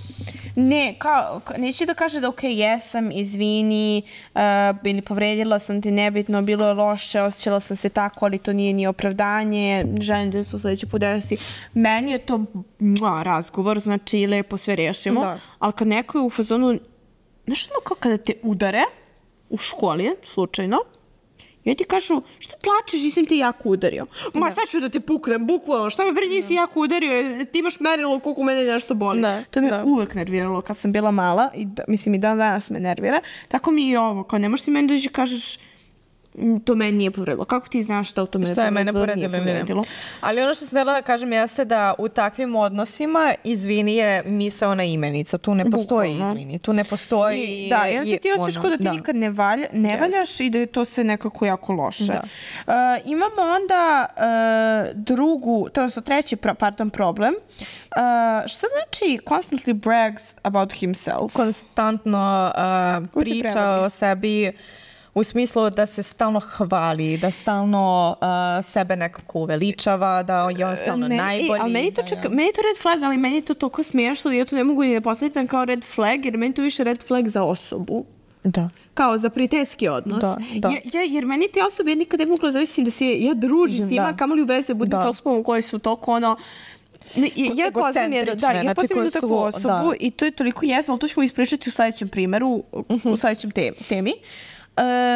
ne, kao, ka- neće da kaže da ok, jesam, izvini, uh, ili povredila sam te nebitno, bilo je loše, osjećala sam se tako, ali to nije ni opravdanje, želim da se to sledeće put desi. Meni je to mua, razgovor, znači lepo sve rešimo,
Da.
ali kad neko je u fazonu, znaš ono kao kada te udare u školi, slučajno, i oni ti kažu, što plačeš, nisam te jako udario. Ma sad ću da te puknem, bukvalno, šta me bre nisi jako udario, jer ti imaš merilo koliko mene nešto boli.
Da,
To me
da.
uvek nerviralo kad sam bila mala, i da, mislim i dan danas me nervira. Tako mi i ovo, kao ne možeš ti meni doći i kažeš, "Mm, to meni nije povredilo. Kako ti znaš šta u tome
Šta je mene
povredilo,
povredilo
nije
ili ne?
povredilo?
Ali ono što sam htjela da kažem jeste da u takvim odnosima izvini je misaona imenica. Tu ne postoji
Bukvalno.
izvini. Tu ne postoji...
I, da, i onda se ti osjećaš
ono,
kao da ti
da.
nikad ne, valja, ne valjaš i da je to sve nekako jako loše.
Da.
Uh, imamo onda uh, drugu, to je treći pra, pardon, problem. Uh, šta znači constantly brags about himself?
Konstantno uh,
Ko se
priča
prevodi?
o sebi u smislu da se stalno hvali, da stalno uh, sebe nekako uveličava, da je on stalno
Meni-
najbolji.
E, ali meni to,
da
čak,
je-
meni je to red flag, ali meni je to toliko smiješno da ja to ne mogu ni da postavim kao red flag, jer meni to više red flag za osobu.
Da.
Kao za prijateljski odnos.
Da, da.
Ja, ja, jer meni te osobe ja nikad ne mogu da zavisim da se ja družim s njima,
Da.
kamoli u veze budem
Da.
sa osobom koje su toliko ono... Ne, ja, ja poznam jednu, da, ja
Egocentrične, znači
poznam jednu
koje
takvu
su-
osobu
da.
i to je toliko jesmo, ali to ćemo ispričati u sledećem primeru, u sledećem te, temi.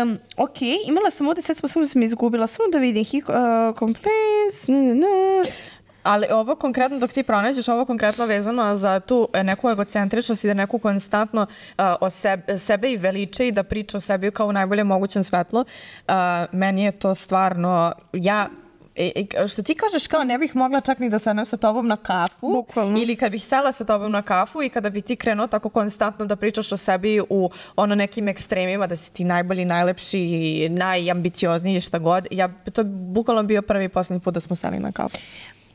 Um, ok, imala sam ovde, sad smo samo da sam izgubila, samo da vidim, he uh, complains, ne, ne, ne.
Ali ovo konkretno, dok ti pronađeš, ovo konkretno vezano za tu e, neku egocentričnost i da neku konstantno uh, o sebe, sebe i veliče i da priča o sebi kao u najboljem mogućem svetlu, uh, meni je to stvarno, ja E, e, što ti kažeš kao ne bih mogla čak ni da sednem sa tobom na kafu.
Bukvalno.
Ili kad bih sela sa tobom na kafu i kada bi ti krenuo tako konstantno da pričaš o sebi u ono nekim ekstremima, da si ti najbolji, najlepši, najambiciozniji, šta god. Ja, to je bukvalno bio prvi i poslednji put da smo seli na kafu.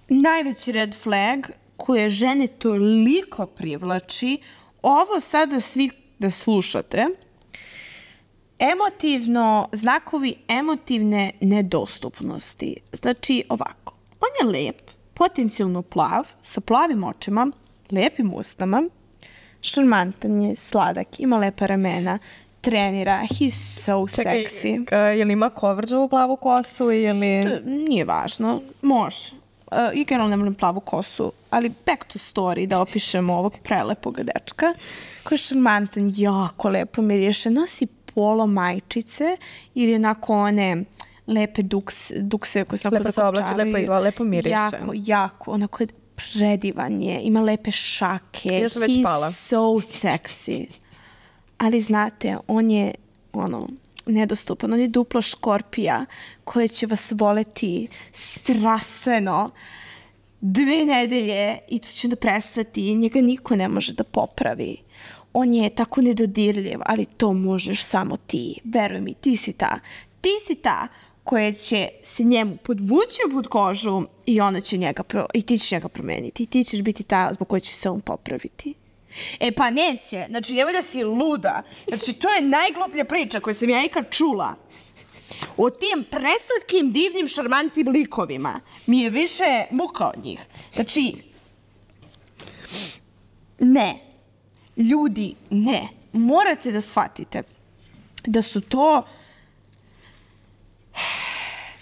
Najveći red flag koje žene toliko privlači, ovo sada svi da slušate, emotivno, znakovi emotivne nedostupnosti. Znači, ovako, on je lep, potencijalno plav, sa plavim očima, lepim usnama, šarmantan je, sladak, ima lepa ramena, trenira, he's so sexy.
Čekaj, je li ima kovrđavu plavu kosu ili...
To nije važno, može. Uh, I generalno ne volim plavu kosu, ali back to story da opišemo ovog prelepog dečka koji je šarmantan, jako lepo miriše, nosi polo majčice ili onako one lepe duks, dukse koje se onako
Lepo se oblači, lepo izgleda, lepo miriše.
Jako, jako, onako je predivan je, ima lepe šake,
Ja sam već
he's
pala.
so sexy. Ali znate, on je ono, nedostupan, on je duplo škorpija koja će vas voleti strastveno dve nedelje i to će onda prestati i njega niko ne može da popravi. On je tako nedodirljiv, ali to možeš samo ti. Veruj mi, ti si ta. Ti si ta koja će se njemu podvući pod kožu i ona će njega pro, i ti ćeš njega promeniti. I ti ćeš biti ta zbog koje će se on popraviti. E pa neće. Znači, nemoj da si luda. Znači, to je najgluplja priča koju sam ja ikad čula. O tim preslatkim, divnim, šarmantnim likovima mi je više muka od njih. Znači, ne. Ljudi, ne. Morate da shvatite da su to...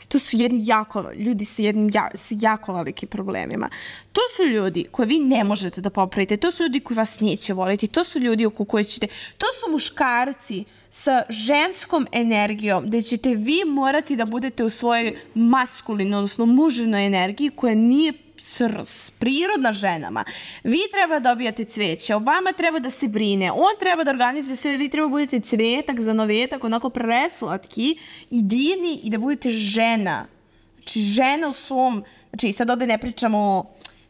To To su jedni jako, ljudi sa jednim ja, sa jako velikim problemima. To su ljudi koje vi ne možete da popravite, to su ljudi koji vas neće voliti, to su ljudi oko koje ćete, to su muškarci sa ženskom energijom, gde ćete vi morati da budete u svojoj maskulinoj, odnosno mužinoj energiji koja nije s prirodna ženama. Vi treba da dobijate cveće, o vama treba da se brine, on treba da organizuje sve, vi treba da budete cvetak za novetak, onako preslatki i divni i da budete žena. Znači, žena u svom, znači, sad ovde ne pričamo o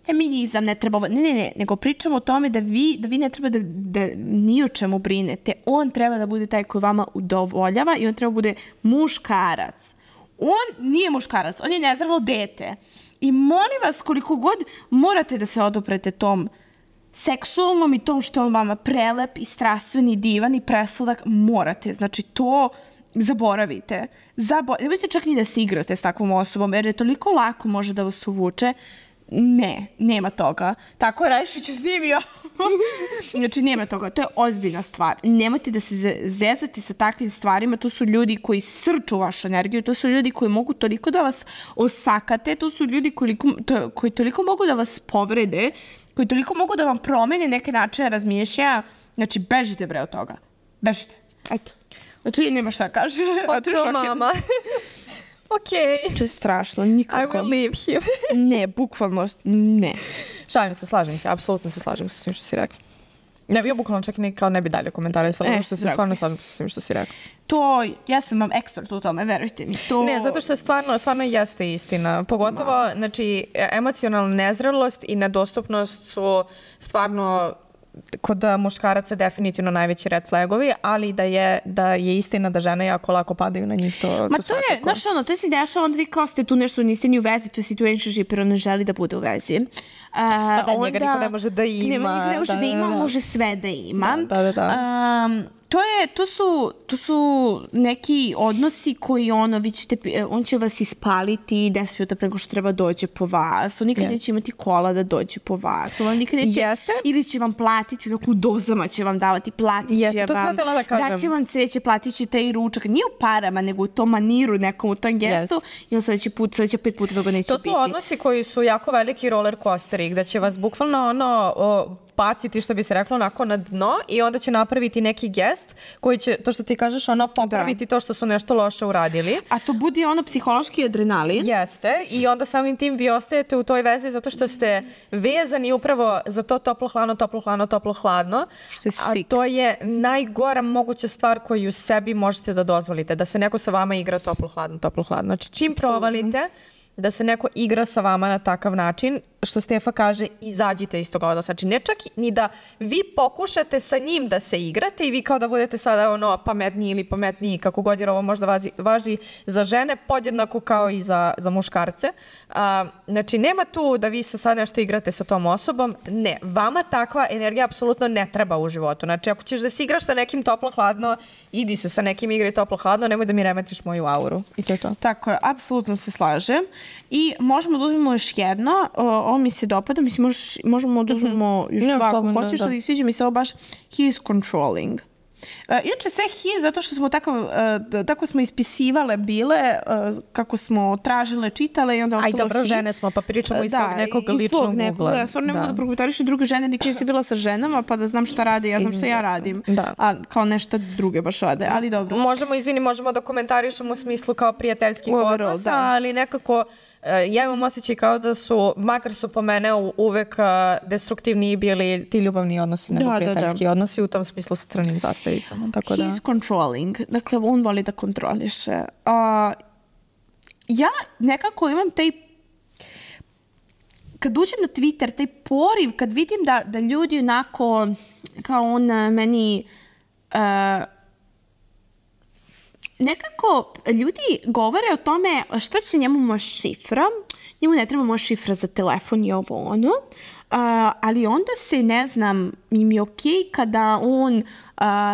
feminizam, ne treba, ne, ne, ne, nego pričamo o tome da vi, da vi ne treba da, da ni o čemu brinete. On treba da bude taj koji vama udovoljava i on treba da bude muškarac. On nije muškarac, on je nezrelo dete. I molim vas, koliko god morate da se oduprete tom seksualnom i tom što je on vama prelep i strastveni, divan i presladak, morate. Znači, to zaboravite. Zabo... Nemojte čak ni da se igrate s takvom osobom, jer je toliko lako može da vas uvuče. Ne, nema toga. Tako je Rajšić snimio. Znači, nema toga. To je ozbiljna stvar. Nemojte da se zezate sa takvim stvarima. To su ljudi koji srču vašu energiju. To su ljudi koji mogu toliko da vas osakate. To su ljudi koji, to, koji toliko mogu da vas povrede, koji toliko mogu da vam promene neke načine razmišljaja. Znači, bežite bre od toga. Bežite. Eto. Eto i nema šta kaže.
Oto mama. Okej.
To je strašno, nikako.
I will leave him.
Ne, bukvalno, ne.
Šalim se, slažem se, apsolutno se slažem sa svim što si rekla. Ne, ja bukvalno čak ne, kao ne bi dalje komentare, samo što se stvarno slažem sa svim što si rekla.
To, ja sam vam ekspert u tome, verujte mi. To...
Ne, zato što stvarno, stvarno jeste istina. Pogotovo, znači, emocionalna nezrelost i nedostupnost su stvarno kod muškaraca definitivno najveći red flagovi, ali da je, da je istina da žene jako lako padaju na njih, to,
Ma
to,
to je, znaš ono, to se dešava, onda vi kao ste tu nešto, niste ni u vezi, to je situationship, jer on ne želi da bude u vezi. Uh,
pa da, njega niko ne može da ima.
Ne, ne može da, da ima, da, da. Može sve da ima.
Da, da, da.
Um, to je, to su, to su neki odnosi koji ono, vi ćete, on će vas ispaliti deset minuta preko što treba dođe po vas, on nikad yes. neće imati kola da dođe po vas, on nikad neće,
Jeste?
ili će vam platiti, u dozama će vam davati, platit će
Jeste,
vam,
da
daće vam cveće, platit ćete i ručak, nije u parama, nego u tom maniru nekom, u tom gestu, yes. i on sledeći put, sledeće pet puta toga neće biti.
To su odnosi koji su jako veliki roller coasteri, gde će vas bukvalno ono... O, baciti, što bi se reklo, onako na dno i onda će napraviti neki gest koji će, to što ti kažeš, ono popraviti da. To što su nešto loše uradili.
A to budi ono psihološki adrenalin.
Jeste. I onda samim tim vi ostajete u toj vezi zato što ste vezani upravo za to toplo-hladno, toplo-hladno, toplo-hladno.
Što je
sik. A to je najgora moguća stvar koju sebi možete da dozvolite. Da se neko sa vama igra toplo-hladno, toplo-hladno. Znači, čim provalite da se neko igra sa vama na takav način, što Stefa kaže, izađite iz toga odnosa. Znači, ne čak ni da vi pokušate sa njim da se igrate i vi kao da budete sada ono pametniji ili pametniji, kako god, jer ovo možda važi, važi za žene podjednako kao i za, za muškarce. A, znači, nema tu da vi se sad nešto igrate sa tom osobom. Ne, vama takva energija apsolutno ne treba u životu. Znači, ako ćeš da se igraš sa nekim toplo-hladno, idi se sa nekim igri toplo-hladno, nemoj da mi remetiš moju auru. I to je to.
Tako je, apsolutno se slažem. I možemo da uzmemo još jedno, ovo mi se dopada, mislim, možeš, možemo da uzmemo još dva ako hoćeš, ali sviđa mi se ovo baš he is controlling. Uh, inače sve he, zato što smo tako, uh, tako smo ispisivale bile, uh, kako smo tražile, čitale i onda ostalo he.
Aj, dobro, žene smo, pa pričamo iz svog nekog ličnog ugla.
Da, ja stvarno ne mogu da prokomentarišu druge žene, nikad si bila sa ženama, pa da znam šta rade, ja znam šta ja radim. Da. A kao nešto druge baš rade, ali dobro.
Možemo, izvini, možemo da komentarišemo u smislu kao prijateljskih odnosa, da. Ali nekako... Ja imam osjećaj kao da su, makar su po mene uvek destruktivniji bili ti ljubavni odnosi nego da, prijateljski da, da. odnosi, u tom smislu sa crnim zastavicama. Tako
He's
da.
controlling, dakle on voli da kontroliše. Uh, ja nekako imam taj, kad uđem na Twitter, taj poriv, kad vidim da, da ljudi onako, kao on meni... Uh, nekako ljudi govore o tome što će njemu moja šifra, njemu ne treba moja šifra za telefon i ovo ono, uh, ali onda se, ne znam, im je okej okay kada on uh,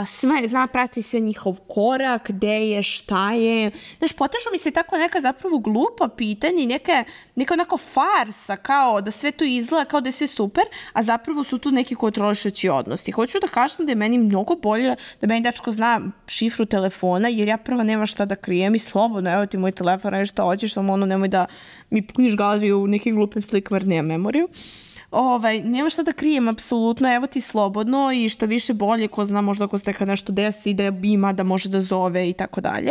sve, zna prati sve njihov korak, gde je, šta je. Znaš, potežu mi se tako neka zapravo glupa pitanja i neka, neka onako farsa, kao da sve to izgleda, kao da je sve super, a zapravo su tu neki kontrolišući odnosi. Hoću da kažem da je meni mnogo bolje da meni dečko zna šifru telefona, jer ja prva nema šta da krijem i slobodno, evo ti moj telefon, radi šta hoćeš, samo ono nemoj da mi puniš galeriju u nekim glupim slikama jer nemam memoriju. Ovaj, nema šta da krijem, apsolutno, evo ti slobodno i što više bolje, ko zna možda ako se nekad nešto desi, da ima, da može da zove i tako dalje.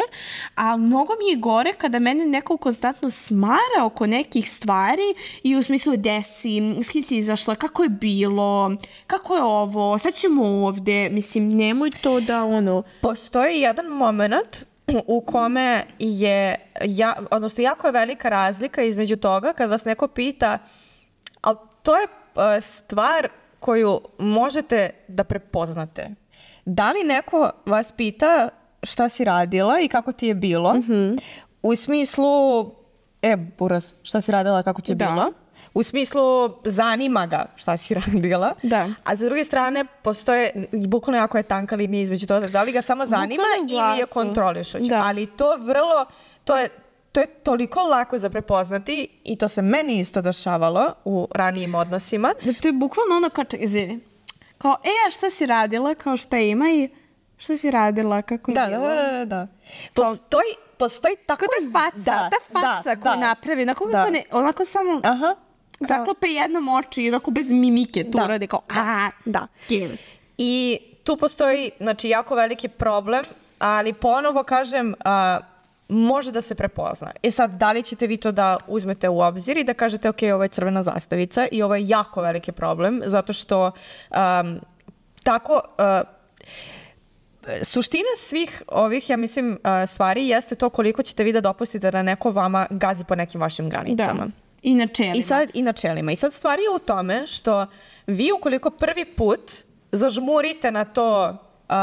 A mnogo mi je gore kada mene neko konstantno smara oko nekih stvari i u smislu desi, s kim si izašla, kako je bilo, kako je ovo, sad ćemo ovde, mislim, nemoj to da ono...
Postoji jedan moment u kome je, ja, odnosno jako je velika razlika između toga kad vas neko pita, ali to je stvar koju možete da prepoznate. Da li neko vas pita šta si radila i kako ti je bilo? Mm-hmm. U smislu, e, buraz, šta si radila, kako ti je da. bilo? U smislu, zanima ga šta si radila. Da. A za druge strane, postoje, bukvalno jako je tanka linija između toga, da li ga samo zanima ili je kontrolišuć. Da. Ali to vrlo, to je To je toliko lako za prepoznati i to se meni isto dešavalo u ranijim odnosima.
Da, to je bukvalno ono kao, izvini, kao, e, a šta si radila, kao šta ima i šta si radila, kako je
da,
bilo?
Da, da, da. Postoji, postoji tako...
Ta faca, da, ta faca da, koju da, napravi, onako, da. ne, onako samo Aha, zaklope jednom oči i onako bez mimike tu da. urade, kao, a, da, skin.
I tu postoji, znači, jako veliki problem, ali ponovo kažem... A, može da se prepozna. E sad, da li ćete vi to da uzmete u obzir i da kažete, ok, ovo je crvena zastavica i ovo je jako veliki problem, zato što um, tako... Uh, suština svih ovih, ja mislim, uh, stvari jeste to koliko ćete vi da dopustite da neko vama gazi po nekim vašim granicama.
Da. I načelima.
I sad, i načelima. I sad stvar je u tome što vi ukoliko prvi put zažmurite na to uh,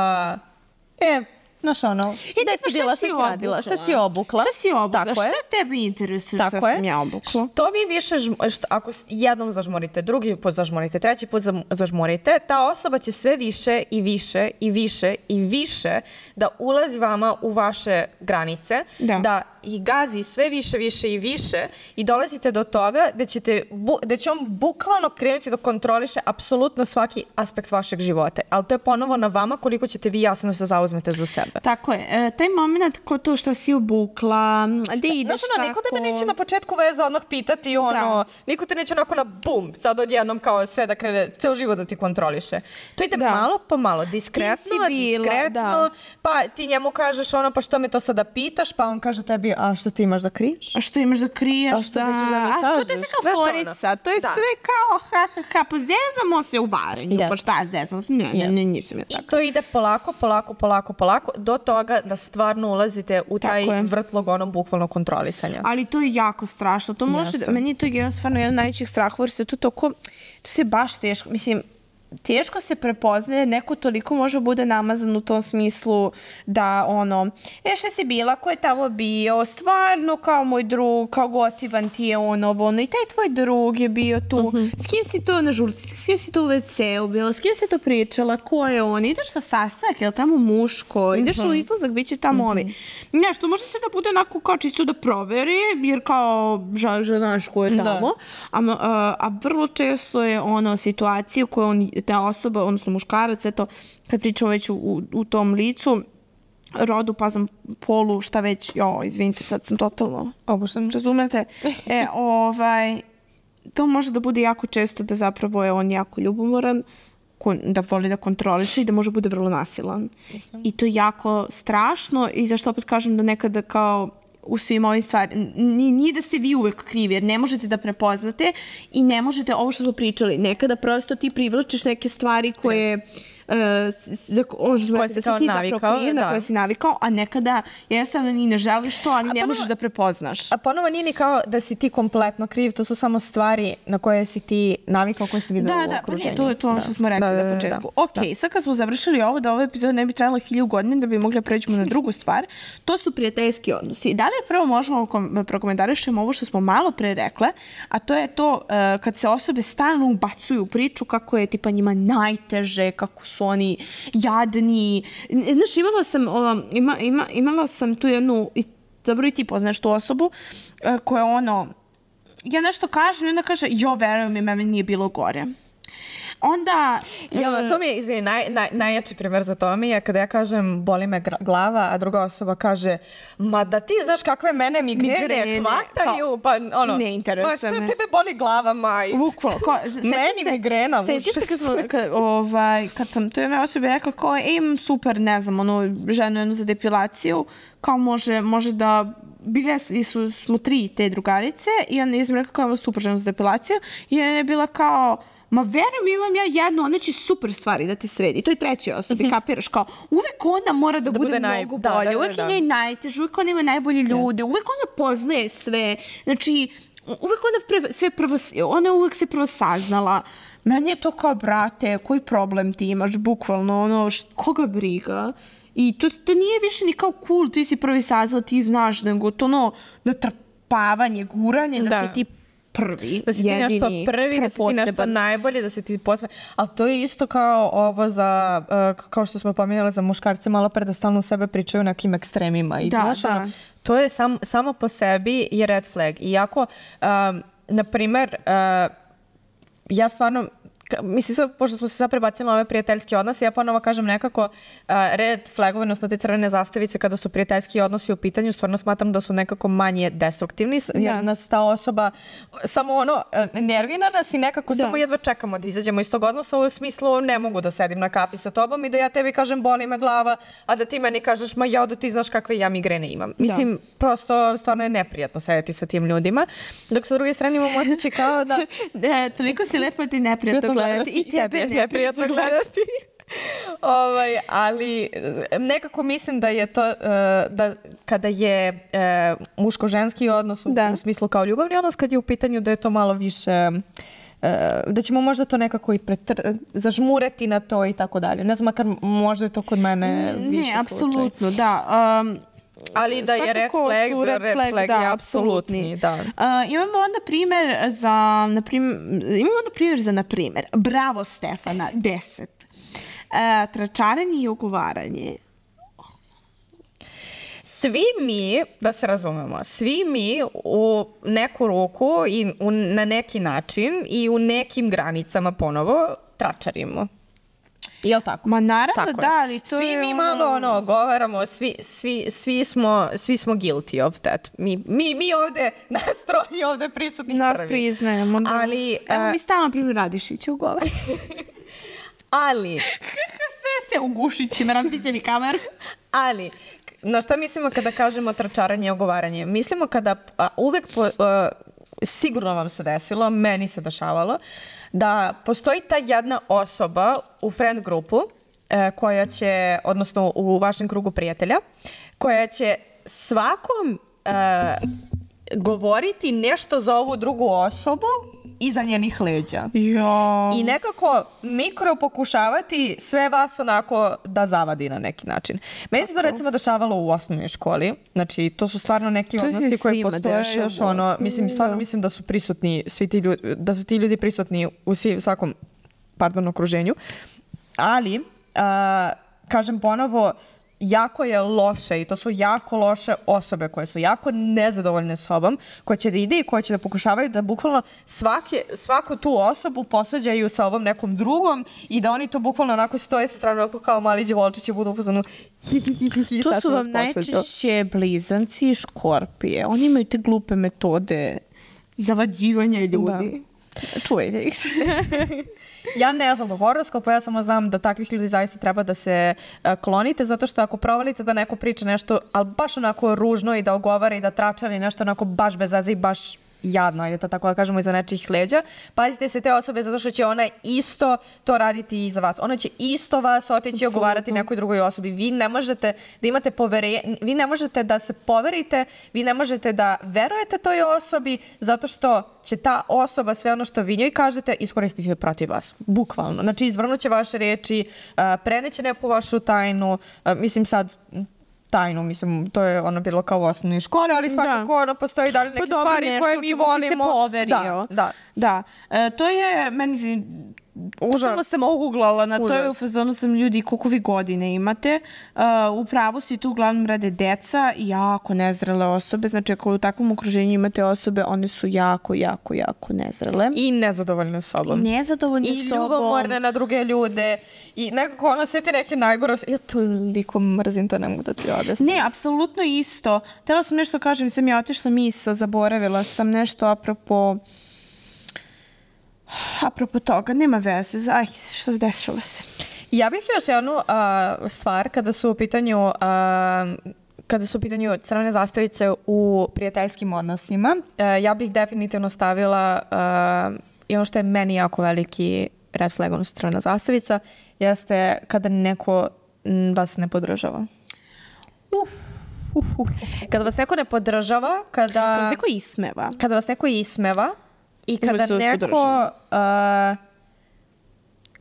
e, znaš ono,
i da si bila, šta si radila,
šta si obukla.
Šta si obukla, tako šta je. Tebi interesuje šta sam ja obukla.
Što vi više, žm, što, ako jednom zažmurite, drugi put zažmurite, treći put zažmurite, ta osoba će sve više i više i više i više da ulazi vama u vaše granice, da, da i gazi sve više, više i više i dolazite do toga da, ćete, da će on bukvalno krenuti da kontroliše apsolutno svaki aspekt vašeg života. Ali to je ponovo na vama koliko ćete vi jasno se zauzmete za sebe.
Tako je. E, taj moment ko to što si obukla, gde ideš
tako... Znaš, niko da me neće na početku veza odmah pitati ono, da. Niko te neće onako na bum, sad odjednom kao sve da krene, ceo život da ti kontroliše. To ide da. malo po malo, diskretno, bila, diskretno, da. Pa ti njemu kažeš ono, pa što me to sada pitaš, pa on kaže tebi, a što ti imaš da kriješ?
A što imaš da kriješ,
a što da. nećeš da mi kažeš?
A to je sve kao forica, to je da. sve kao ha, ha, ha, pa zezamo se u varenju, yes. pa šta zezamo se? Ne, yes. ne, ne, nisam ja tako.
I to ide polako, polako, polako, polako, do toga da stvarno ulazite u taj vrtlog onom bukvalno kontrolisanja.
Ali to je jako strašno. To može, da, meni to je stvarno jedan najvećih strahova, jer se to toko, to se baš teško, mislim, teško se prepoznaje, neko toliko može bude namazan u tom smislu da ono, e šta si bila, ko je tamo bio, stvarno kao moj drug, kao gotivan ti je ono, ono, i taj tvoj drug je bio tu, uh-huh. s kim si to na žurci, s kim si to u ve ceu bila, s kim si to pričala, ko je on, ideš sa sastanak, je li tamo muško, ideš uh-huh. u izlazak, bit će tamo uh-huh. ovi. Nešto, može se da bude onako kao čisto da proveri, jer kao, žal, žal, znaš ko je tamo, a, a, a vrlo često je ono situacija u kojoj on ta osoba, odnosno muškarac, eto, kad pričamo već u, u tom licu, rodu, pazom, polu, šta već, jo, izvinite, sad sam totalno obušten, razumete? E, ovaj, to može da bude jako često da zapravo je on jako ljubomoran, da voli da kontroliše i da može bude vrlo nasilan. I to je jako strašno i zašto opet kažem da nekada kao u svim ovim stvarima. Nije da ste vi uvek krivi, jer ne možete da prepoznate i ne možete, ovo što smo pričali, nekada prosto ti privlačiš neke stvari koje uh, za, on što
koje si kao navikao,
kriv, na koje si navikao, a nekada jednostavno ni ne želiš to, ali a ne ponovo, možeš da prepoznaš.
A ponovo nije ni kao da si ti kompletno kriv, to su samo stvari na koje si ti navikao, koje si vidio
da,
u
da,
okruženju.
Da, to je to ono što smo rekli da, da, na početku. Da, ok, da. Sad kad smo završili ovo, da ova epizoda ne bi trajala hilju godine, da bi mogli da pređemo na drugu stvar, to su prijateljski odnosi. Da li prvo možemo prokomentarišemo ovo što smo malo pre rekle, a to je to uh, kad se osobe stalno ubacuju u priču kako je tipa njima najteže, kako su oni jadni. Znaš, imala sam, um, ima, ima, imala sam tu jednu, dobro i ti poznaš tu osobu, uh, koja ono, ja nešto kažem i onda kaže, jo, verujem mi, meni nije bilo gore. Onda...
Ja, to mi je, izvini, naj, naj, najjači primjer za to mi je kada ja kažem boli me glava, a druga osoba kaže ma da ti znaš kakve mene migrene, migrene hvataju, pa ono...
Ne interesuje me.
Pa što tebe boli glava, majt?
Bukvalno. Meni
se, migrena.
Sećam se kad, smo, kad, ovaj, kad sam to jednoj osobi rekla kao, e, imam super, ne znam, ono, ženu jednu za depilaciju, kao može, može da... Bile su, smo tri te drugarice i onda sam rekla kao imam super ženu za depilaciju i ona je bila kao... Ma verujem, imam ja jednu, ona će super stvari da ti sredi. To je treći osobi, mm-hmm. kapiraš kao, uvek ona mora da, da bude, bude naj... mnogo bolje, da, da, uvek da, da. je njoj najteže, uvek ona ima najbolji ljudi, yes. uvek ona poznaje sve, znači, uvek ona pre, sve prvo, ona uvek se prvo saznala. Meni je to kao, brate, koji problem ti imaš, bukvalno, ono, št, koga briga? I to, to nije više ni kao cool, ti si prvi saznao, ti znaš, nego to ono, natrpavanje, guranje, da, da se ti prvi,
da si ti
jedini,
nešto prvi, da si ti nešto najbolje, da si ti posve... Ali to je isto kao ovo za, uh, kao što smo pominjali za muškarce malo pre, da stalno u sebe pričaju nekim ekstremima. I,
da,
znaš,
da.
Ono, to je sam, samo po sebi je red flag. Iako, um, na primer, uh, ja stvarno... Mislim, sad, pošto smo se sad prebacili na ove prijateljski odnose, ja ponovo kažem nekako uh, red flagove, odnosno te crvene zastavice kada su prijateljski odnosi u pitanju, stvarno smatram da su nekako manje destruktivni, jer ja. nas ta osoba samo ono, nervira nas i nekako da. samo jedva čekamo da izađemo iz tog odnosa, u smislu ne mogu da sedim na kafi sa tobom i da ja tebi kažem boli me glava, a da ti meni kažeš ma ja da ti znaš kakve ja migrene imam. Mislim, da. prosto stvarno je neprijatno sedeti sa tim ljudima, dok sa druge strane imamo osjećaj kao da...
e, toliko si lepo da ti neprijatno gledati i tebe
ne neprijatno gledati. ovaj, ali nekako mislim da je to, uh, da kada je uh, muško-ženski odnos u, u smislu kao ljubavni odnos, kad je u pitanju da je to malo više... Uh, da ćemo možda to nekako i pretr... zažmureti na to i tako dalje. Ne znam, makar možda je to kod mene više slučaj.
Ne, apsolutno, da. Um,
Ali da je red flag, red, red flag, flag da, je apsolutni. Da.
Uh, imamo onda primjer za, na primjer, imamo onda primjer za, na primjer, bravo Stefana, deset. Uh, tračarenje i ugovaranje.
Svi mi, da se razumemo, svi mi u neku ruku i u, na neki način i u nekim granicama ponovo tračarimo. Jel tako?
Ma naravno
tako
da, ali to
svi
je
mi malo ono, ono govaramo, svi, svi, svi, smo, svi smo guilty of that. Mi, mi, mi ovde, nas troji ovde prisutni
nas
prvi.
Nas priznajemo. Da.
Ali,
evo uh, mi stalno primjer Radišića ugovara.
ali...
Sve se ugušići, me razbićeni kamer.
Ali... Na šta mislimo kada kažemo tračaranje i ogovaranje? Mislimo kada a, uvek, po, a, sigurno vam se desilo, meni se dešavalo, da postoji ta jedna osoba u friend grupu a, koja će, odnosno u vašem krugu prijatelja, koja će svakom a, govoriti nešto za ovu drugu osobu iza njenih leđa.
Ja.
I nekako mikro pokušavati sve vas onako da zavadi na neki način. Meni se to recimo dešavalo u osnovnoj školi. Znači, to su stvarno neki to odnosi koji postoje još ono, mislim, stvarno mislim da su prisutni svi ti ljudi, da su ti ljudi prisutni u svi, svakom, pardon, okruženju. Ali, a, kažem ponovo, jako je loše i to su jako loše osobe koje su jako nezadovoljne sobom, koje će da ide i koje će da pokušavaju da bukvalno svake, svaku tu osobu posvađaju sa ovom nekom drugom i da oni to bukvalno onako stoje sa strane kao mali djevojčići budu upozornu hi hi hi hi hi.
To su vam najčešće blizanci i škorpije. Oni imaju te glupe metode zavađivanja ljudi. Da. Čujete ih se.
Ja ne znam do horoskopa, ja samo znam da takvih ljudi zaista treba da se uh, klonite, zato što ako provalite da neko priča nešto, ali baš onako ružno i da ogovara i da tračari nešto onako baš bez veze i baš jadna, je to tako da kažemo, iza nečijih leđa. Pazite se te osobe zato što će ona isto to raditi i za vas. Ona će isto vas otići i ogovarati nekoj drugoj osobi. Vi ne možete da imate poverenje, vi ne možete da se poverite, vi ne možete da verujete toj osobi zato što će ta osoba sve ono što vi njoj kažete iskoristiti protiv vas. Bukvalno. Znači, izvrnuće vaše reči, preneće neku vašu tajnu, mislim sad tajnu, mislim, to je ono bilo kao u osnovnoj školi, ali svakako ono postoji dalje neke pa stvari nešto, koje mi volimo.
Se poverio.
Da, da.
da. E, to je, meni Užasno sam oguglala na to je u fazonu sam ljudi koliko vi godine imate. Uh, u pravu si tu uglavnom rade deca i jako nezrele osobe. Znači ako u takvom okruženju imate osobe, one su jako, jako, jako nezrele.
I nezadovoljne sobom.
I nezadovoljne
I
sobom. I
ljubomorne na druge ljude. I nekako ona sve ti neke najgore. Ja toliko mrzim, to ne mogu da ti odesam.
Ne, apsolutno isto. Htjela sam nešto kažem, sam ja otišla misao, zaboravila sam nešto apropo... Apropo toga, nema veze. Aj, što dešava se?
Ja bih još jednu uh, stvar kada su u pitanju uh, kada su u pitanju crvene zastavice u prijateljskim odnosima. Uh, ja bih definitivno stavila uh, i ono što je meni jako veliki red flag, ono crvena zastavica, jeste kada neko vas ne podržava.
Uf. Uf, uf.
Kada vas neko ne podržava, kada...
Kada vas neko ismeva.
Kada vas neko ismeva, i kada neko, uh,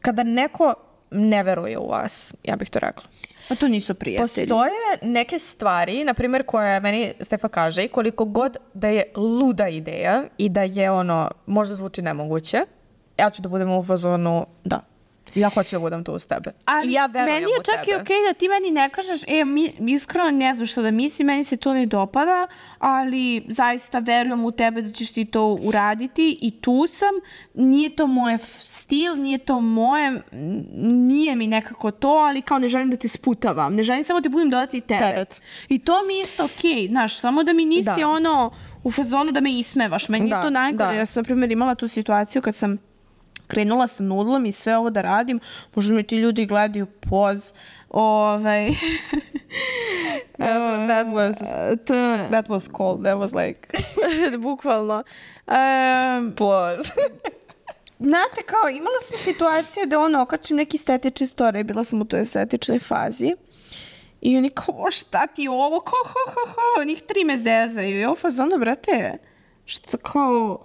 kada neko ne veruje u vas, ja bih to rekla.
A to nisu prijatelji.
Postoje neke stvari, na primjer, koje meni Stefa kaže i koliko god da je luda ideja i da je ono, možda zvuči nemoguće, ja ću da budem u fazonu, da. Ja hoću da budem tu uz tebe.
Ali
ja verujem
meni je čak i okej okay da ti meni ne kažeš, e, mi, iskreno ne znam što da mislim, meni se to ne dopada, ali zaista verujem u tebe da ćeš ti to uraditi i tu sam. Nije to moj stil, nije to moje, nije mi nekako to, ali kao ne želim da te sputavam. Ne želim samo da budem dodatni teret. teret. I to mi je isto okej, okay, znaš, samo da mi nisi da. ono u fazonu da me ismevaš. Meni da, je to najgore. Ja sam, na primjer, imala tu situaciju kad sam krenula sa nudlom i sve ovo da radim, možda mi ti ljudi gledaju poz, ovaj...
that, that was, that was cold, that was like...
Bukvalno. Um,
poz.
Znate, kao, imala sam situaciju da ono, okačim neki estetični story, bila sam u toj estetičnoj fazi i oni kao, šta ti ovo, kao, ho, ho, ho, njih tri me zezaju i ovo fazonu, brate, što kao...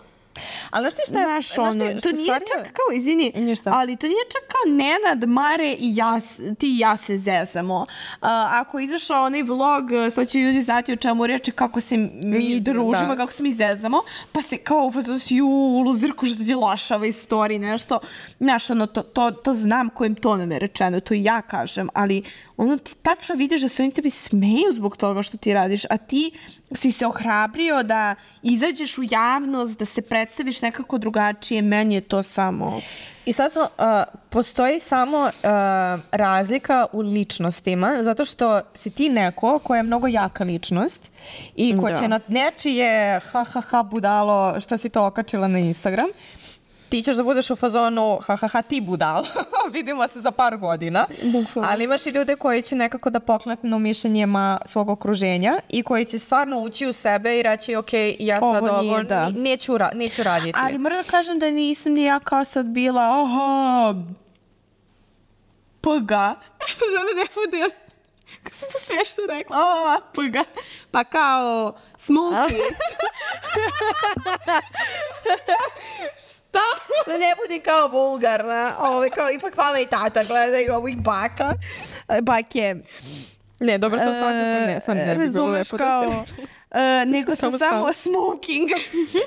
Ali znaš ti šta je?
Znaš, ono, to nije stvarno... čak kao, izvini, ali to nije čak kao Nenad, Mare i ja, ti i ja se zezamo. Uh, ako je izašao onaj vlog, sad će ljudi znati o čemu reče, kako se mi družimo, da. Kako se mi zezamo, pa se kao, ju, luzirku što ti lašava iz story, nešto. Znaš, ono, to, to, to znam kojim tonom je rečeno, to i ja kažem, ali ono, ti tačno vidiš da se oni tebi smeju zbog toga što ti radiš, a ti si se ohrabrio da izađeš u javnost, da se predstaviš nekako drugačije, meni je to samo...
I sad uh, postoji samo uh, razlika u ličnostima, zato što si ti neko koja je mnogo jaka ličnost i ko da. će na nečije ha ha ha budalo što si to okačila na Instagram, ti ćeš da budeš u fazonu ha ha ha ti budalo, vidimo se za par godina, Bukvalno. Ali imaš i ljude koji će nekako da pokleknu mišljenjima svog okruženja i koji će stvarno ući u sebe i reći ok, ja sad ovo, ovo da. neću, ra neću raditi.
Ali moram da kažem da nisam ni ja kao sad bila oho, pga, zove ne bude, kako sam to sve što rekla, oho, pga, pa kao smoky. Šta? Da ne budi kao vulgarna, ovo, kao ipak mama i tata gledaju ovo i baka, bake.
Ne, dobro, to svakako ne, svakako ne bi bilo lepo
kao, Uh, nego sam samo smoking.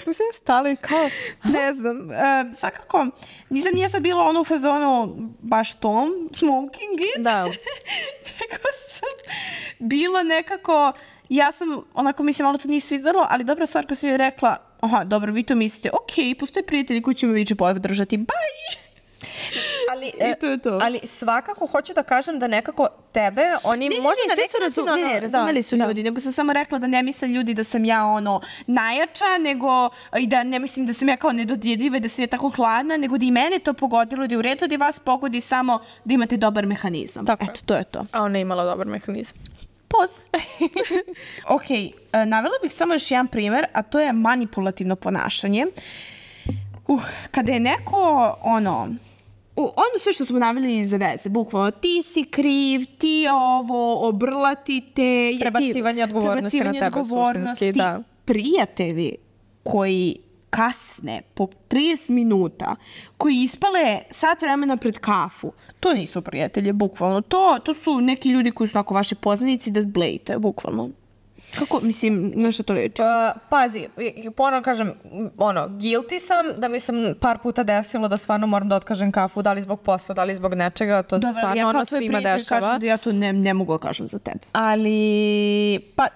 Mislim stali kao,
ne znam, uh, svakako, nisam nije sad bila ono u fazonu baš tom, smoking it.
Da.
Nego sam bila nekako, ja sam, onako mislim, malo to nije svidjelo, ali dobra stvar koja sam joj rekla, aha, dobro, vi to mislite, ok, postoje prijatelji koji će me više podržati, bye!
Ali, e, to je to. Ali svakako hoću da kažem da nekako tebe, oni
ne,
možda
ne, ne, ne, razum, ono, ne, razumeli su da, ljudi, da. nego sam samo rekla da ne misle ljudi da sam ja ono najjača, nego i da ne mislim da sam ja kao nedodirljiva i da sam ja tako hladna, nego da i mene to pogodilo, da je u redu da i vas pogodi samo da imate dobar mehanizam.
Tako
Eto, to je to.
A ona je imala dobar mehanizam.
Pos. Ok, navela bih samo još jedan primer, a to je manipulativno ponašanje. Uh, kada je neko, ono, uh, ono sve što smo naveli za veze, bukvalno, ti si kriv, ti ovo, obrlati te...
Prebacivanje odgovornosti na tebe suštinski, da.
Prijatelji koji kasne po trideset minuta, koji ispale sat vremena pred kafu, to nisu prijatelje, bukvalno. To, to su neki ljudi koji su onako vaši poznanici da zblejite, bukvalno. Kako, mislim, nešto to reći?
Uh, pazi, ponovno kažem, ono, guilty sam da mi sam par puta desilo da stvarno moram da otkažem kafu, da li zbog posla, da li zbog nečega, to Dobar, stvarno ja ono svima dešava.
Kažem da ja to ne, ne mogu da kažem za tebe.
Ali, pa,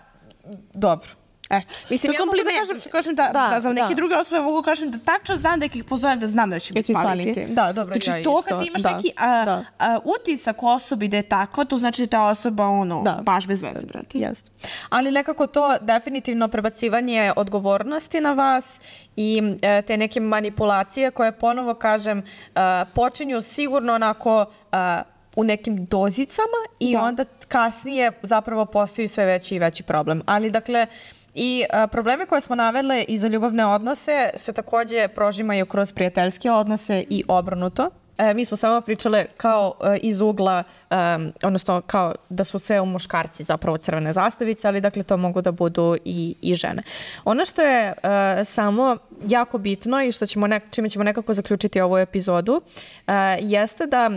dobro.
E, mislim, ja mogu da kažem, što kažem da, da, da za neke da. druge osobe mogu kažem da tačno znam da ih pozovem da znam da će mi spaliti.
Da, dobro,
znači,
ja isto.
Znači, to kad imaš da, neki a, da. a, utisak osobi da je takva, to znači da ta osoba, ono, da. baš bez veze, brati.
Jeste. Ali nekako to definitivno prebacivanje odgovornosti na vas i e, te neke manipulacije koje, ponovo kažem, a, počinju sigurno onako... A, u nekim dozicama i da. onda kasnije zapravo postoji sve veći i veći problem. Ali dakle, i a, probleme koje smo navele i za ljubavne odnose se takođe prožimaju kroz prijateljske odnose i obrnuto. E, mi smo samo pričale kao e, iz ugla, e, odnosno kao da su sve u muškarci zapravo crvene zastavice, ali dakle to mogu da budu i, i žene. Ono što je e, samo jako bitno i što ćemo nek, čime ćemo nekako zaključiti ovu epizodu, e, jeste da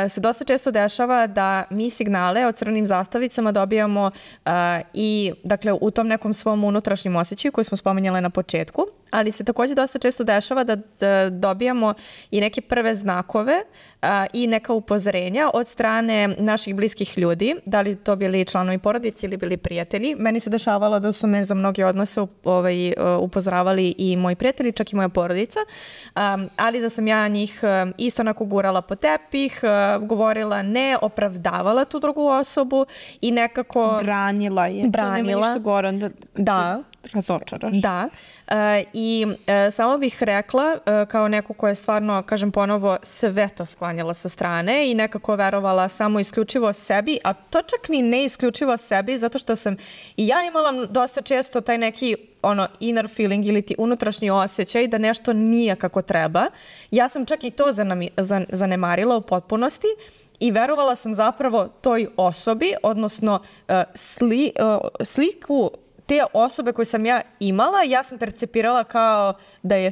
e, se dosta često dešava da mi signale o crvenim zastavicama dobijamo e, i dakle u tom nekom svom unutrašnjem osjećaju koji smo spominjale na početku, ali se takođe dosta često dešava da, da dobijamo i neke prve znakove a, i neka upozorenja od strane naših bliskih ljudi, da li to bili članovi porodice ili bili prijatelji. Meni se dešavalo da su me za mnoge odnose ovaj, upozoravali i moji prijatelji, čak i moja porodica, a, ali da sam ja njih isto onako gurala po tepih, a, govorila ne, opravdavala tu drugu osobu i nekako...
Branila je.
Branila.
To nema ništa gore, onda
da.
razočaraš.
Da. E, I e, samo bih rekla, e, kao neko ko je stvarno, kažem ponovo, sve to sklanjala sa strane i nekako verovala samo isključivo sebi, a to čak ni ne isključivo sebi, zato što sam i ja imala dosta često taj neki ono inner feeling ili ti unutrašnji osjećaj da nešto nije kako treba. Ja sam čak i to zanami, zan, zanemarila u potpunosti i verovala sam zapravo toj osobi, odnosno e, sli, e, sliku te osobe koje sam ja imala, ja sam percepirala kao da je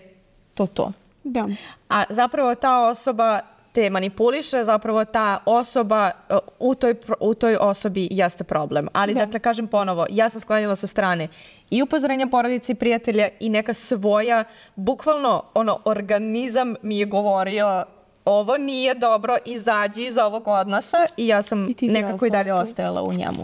to to.
Da.
A zapravo ta osoba te manipuliše, zapravo ta osoba, u toj, u toj osobi jeste problem. Ali da. dakle, kažem ponovo, ja sam sklanjala sa strane i upozorenja porodice i prijatelja i neka svoja, bukvalno ono, organizam mi je govorio ovo nije dobro, izađi iz ovog odnosa i ja sam I nekako i dalje ostajala u njemu.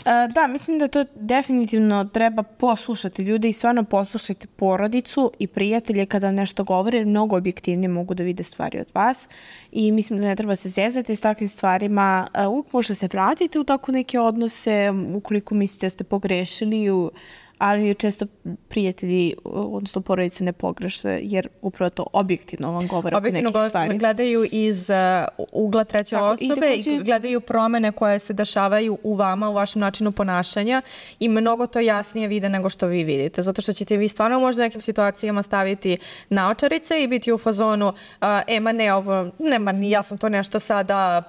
Uh, da, mislim da to definitivno treba poslušati ljude i stvarno poslušajte porodicu i prijatelje kada nešto govore, jer mnogo objektivnije mogu da vide stvari od vas i mislim da ne treba se zezati s takvim stvarima. Uh, uvijek možete se vratiti u tako neke odnose ukoliko mislite da ste pogrešili, u, ali često prijatelji, odnosno porodice ne pogreše, jer upravo to objektivno vam govore oko nekih stvari.
Objektivno gledaju iz uh, ugla treće Tako, osobe i, i gledaju promene koje se dešavaju u vama, u vašem načinu ponašanja i mnogo to jasnije vide nego što vi vidite. Zato što ćete vi stvarno možda u nekim situacijama staviti naočarice i biti u fazonu uh, e, ma ne, ovo, ne, ma ja sam to nešto sada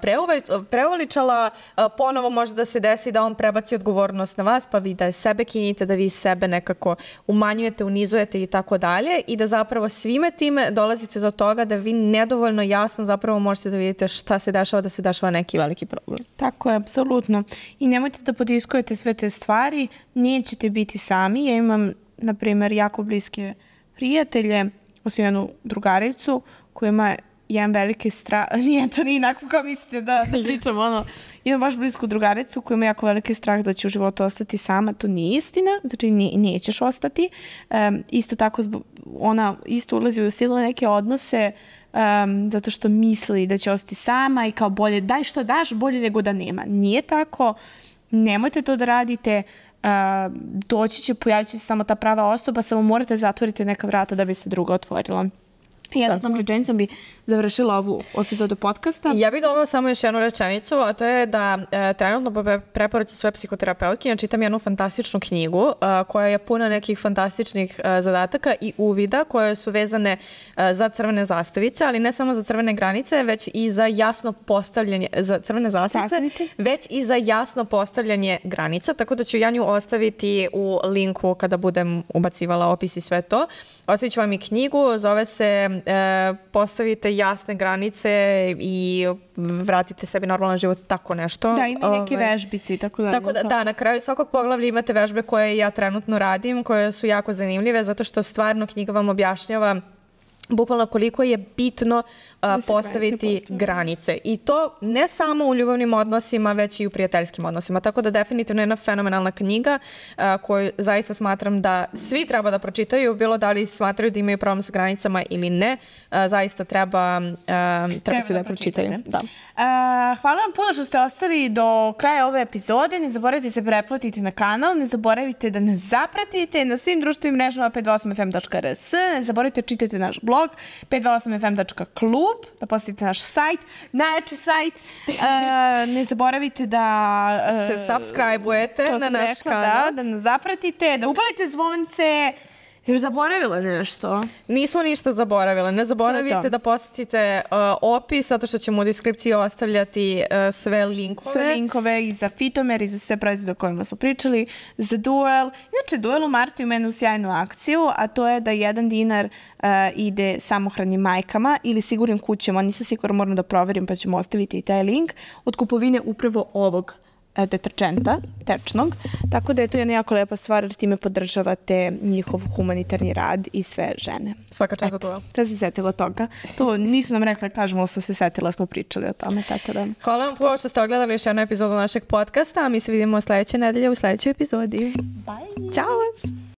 preuveličala, uh, ponovo može da se desi da on prebaci odgovornost na vas, pa vi da sebe kinite, da vi sebe nekako umanjujete, unizujete i tako dalje i da zapravo svime time dolazite do toga da vi nedovoljno jasno zapravo možete da vidite šta se dešava, da se dešava neki veliki problem.
Tako je, apsolutno. I nemojte da podiskujete sve te stvari, nećete biti sami. Ja imam, na primjer, jako bliske prijatelje, osim jednu drugaricu koja ima jedan veliki strah, nije to nije inako kao mislite da, da pričam, ono, imam baš blisku drugaricu koja ima jako veliki strah da će u životu ostati sama, to nije istina, znači ne, nećeš ostati. Um, isto tako, zbog, ona isto ulazi u sile neke odnose um, zato što misli da će ostati sama i kao bolje, daj što daš, bolje nego da nema. Nije tako, nemojte to da radite, uh, doći će, pojavit će se samo ta prava osoba, samo morate zatvoriti neka vrata da bi se druga otvorila. I jednom tom rečenicom bi završila ovu epizodu podcasta.
Ja bih dodala samo još jednu rečenicu, a to je da e, trenutno po preporuci svoje psihoterapeutkinje čitam jednu fantastičnu knjigu a, koja je puna nekih fantastičnih a, zadataka i uvida koje su vezane a, za crvene zastavice, ali ne samo za crvene granice, već i za jasno postavljanje, za crvene zastavice,
Zastavice.
već i za jasno postavljanje granica, tako da ću ja nju ostaviti u linku kada budem ubacivala opis i sve to. Ostavit ću vam i knjigu, zove se e, Postavite jasne granice i vratite sebi normalan život, tako nešto.
Da, ima i neke vežbice i tako da.
Tako da, da, na kraju svakog poglavlja imate vežbe koje ja trenutno radim, koje su jako zanimljive, zato što stvarno knjiga vam objašnjava bukvalno koliko je bitno uh, postaviti granice. I to ne samo u ljubavnim odnosima, već i u prijateljskim odnosima. Tako da definitivno je jedna fenomenalna knjiga uh, koju zaista smatram da svi treba da pročitaju, bilo da li smatraju da imaju problem sa granicama ili ne. Uh, zaista treba, uh, treba, treba svi da, da pročitaju. Da.
Uh, hvala vam puno što ste ostali do kraja ove epizode. Ne zaboravite se pretplatiti na kanal, ne zaboravite da nas zapratite na svim društvenim mrežama pet dvadeset osam f m tačka r s, ne zaboravite čitati naš blog pet dvadeset osam f m tačka klub, da posjetite naš sajt, najjači sajt. Uh, ne zaboravite da
uh, se subscribe-ujete na naš rekla, kanal.
Da, da nas zapratite, da upalite zvonce. Jesi zaboravila nešto?
Nismo ništa zaboravile. Ne zaboravite to. Da posjetite uh, opis, zato što ćemo u deskripciji ostavljati uh, sve linkove.
Sve linkove i za Fitomer i za sve proizvode o kojima smo pričali, za Duel. Inače, Duel u martu ima jednu sjajnu akciju, a to je da jedan dinar uh, ide samohranim majkama ili sigurnim kućama. Nisam sigurno, moram da proverim, pa ćemo ostaviti i taj link od kupovine upravo ovog deterčenta, tečnog, tako da je to jedna jako lepa stvar jer time podržavate njihov humanitarni rad i sve žene.
Svaka čast za to.
Da se setila toga. To nisu nam rekli, kažemo, ali sam se setila, smo pričali o tome, tako da.
Hvala vam puno što ste ogledali još jednu epizodu našeg podcasta, a mi se vidimo sledeće nedelje u sledećoj epizodi.
Bye!
Ćao vas!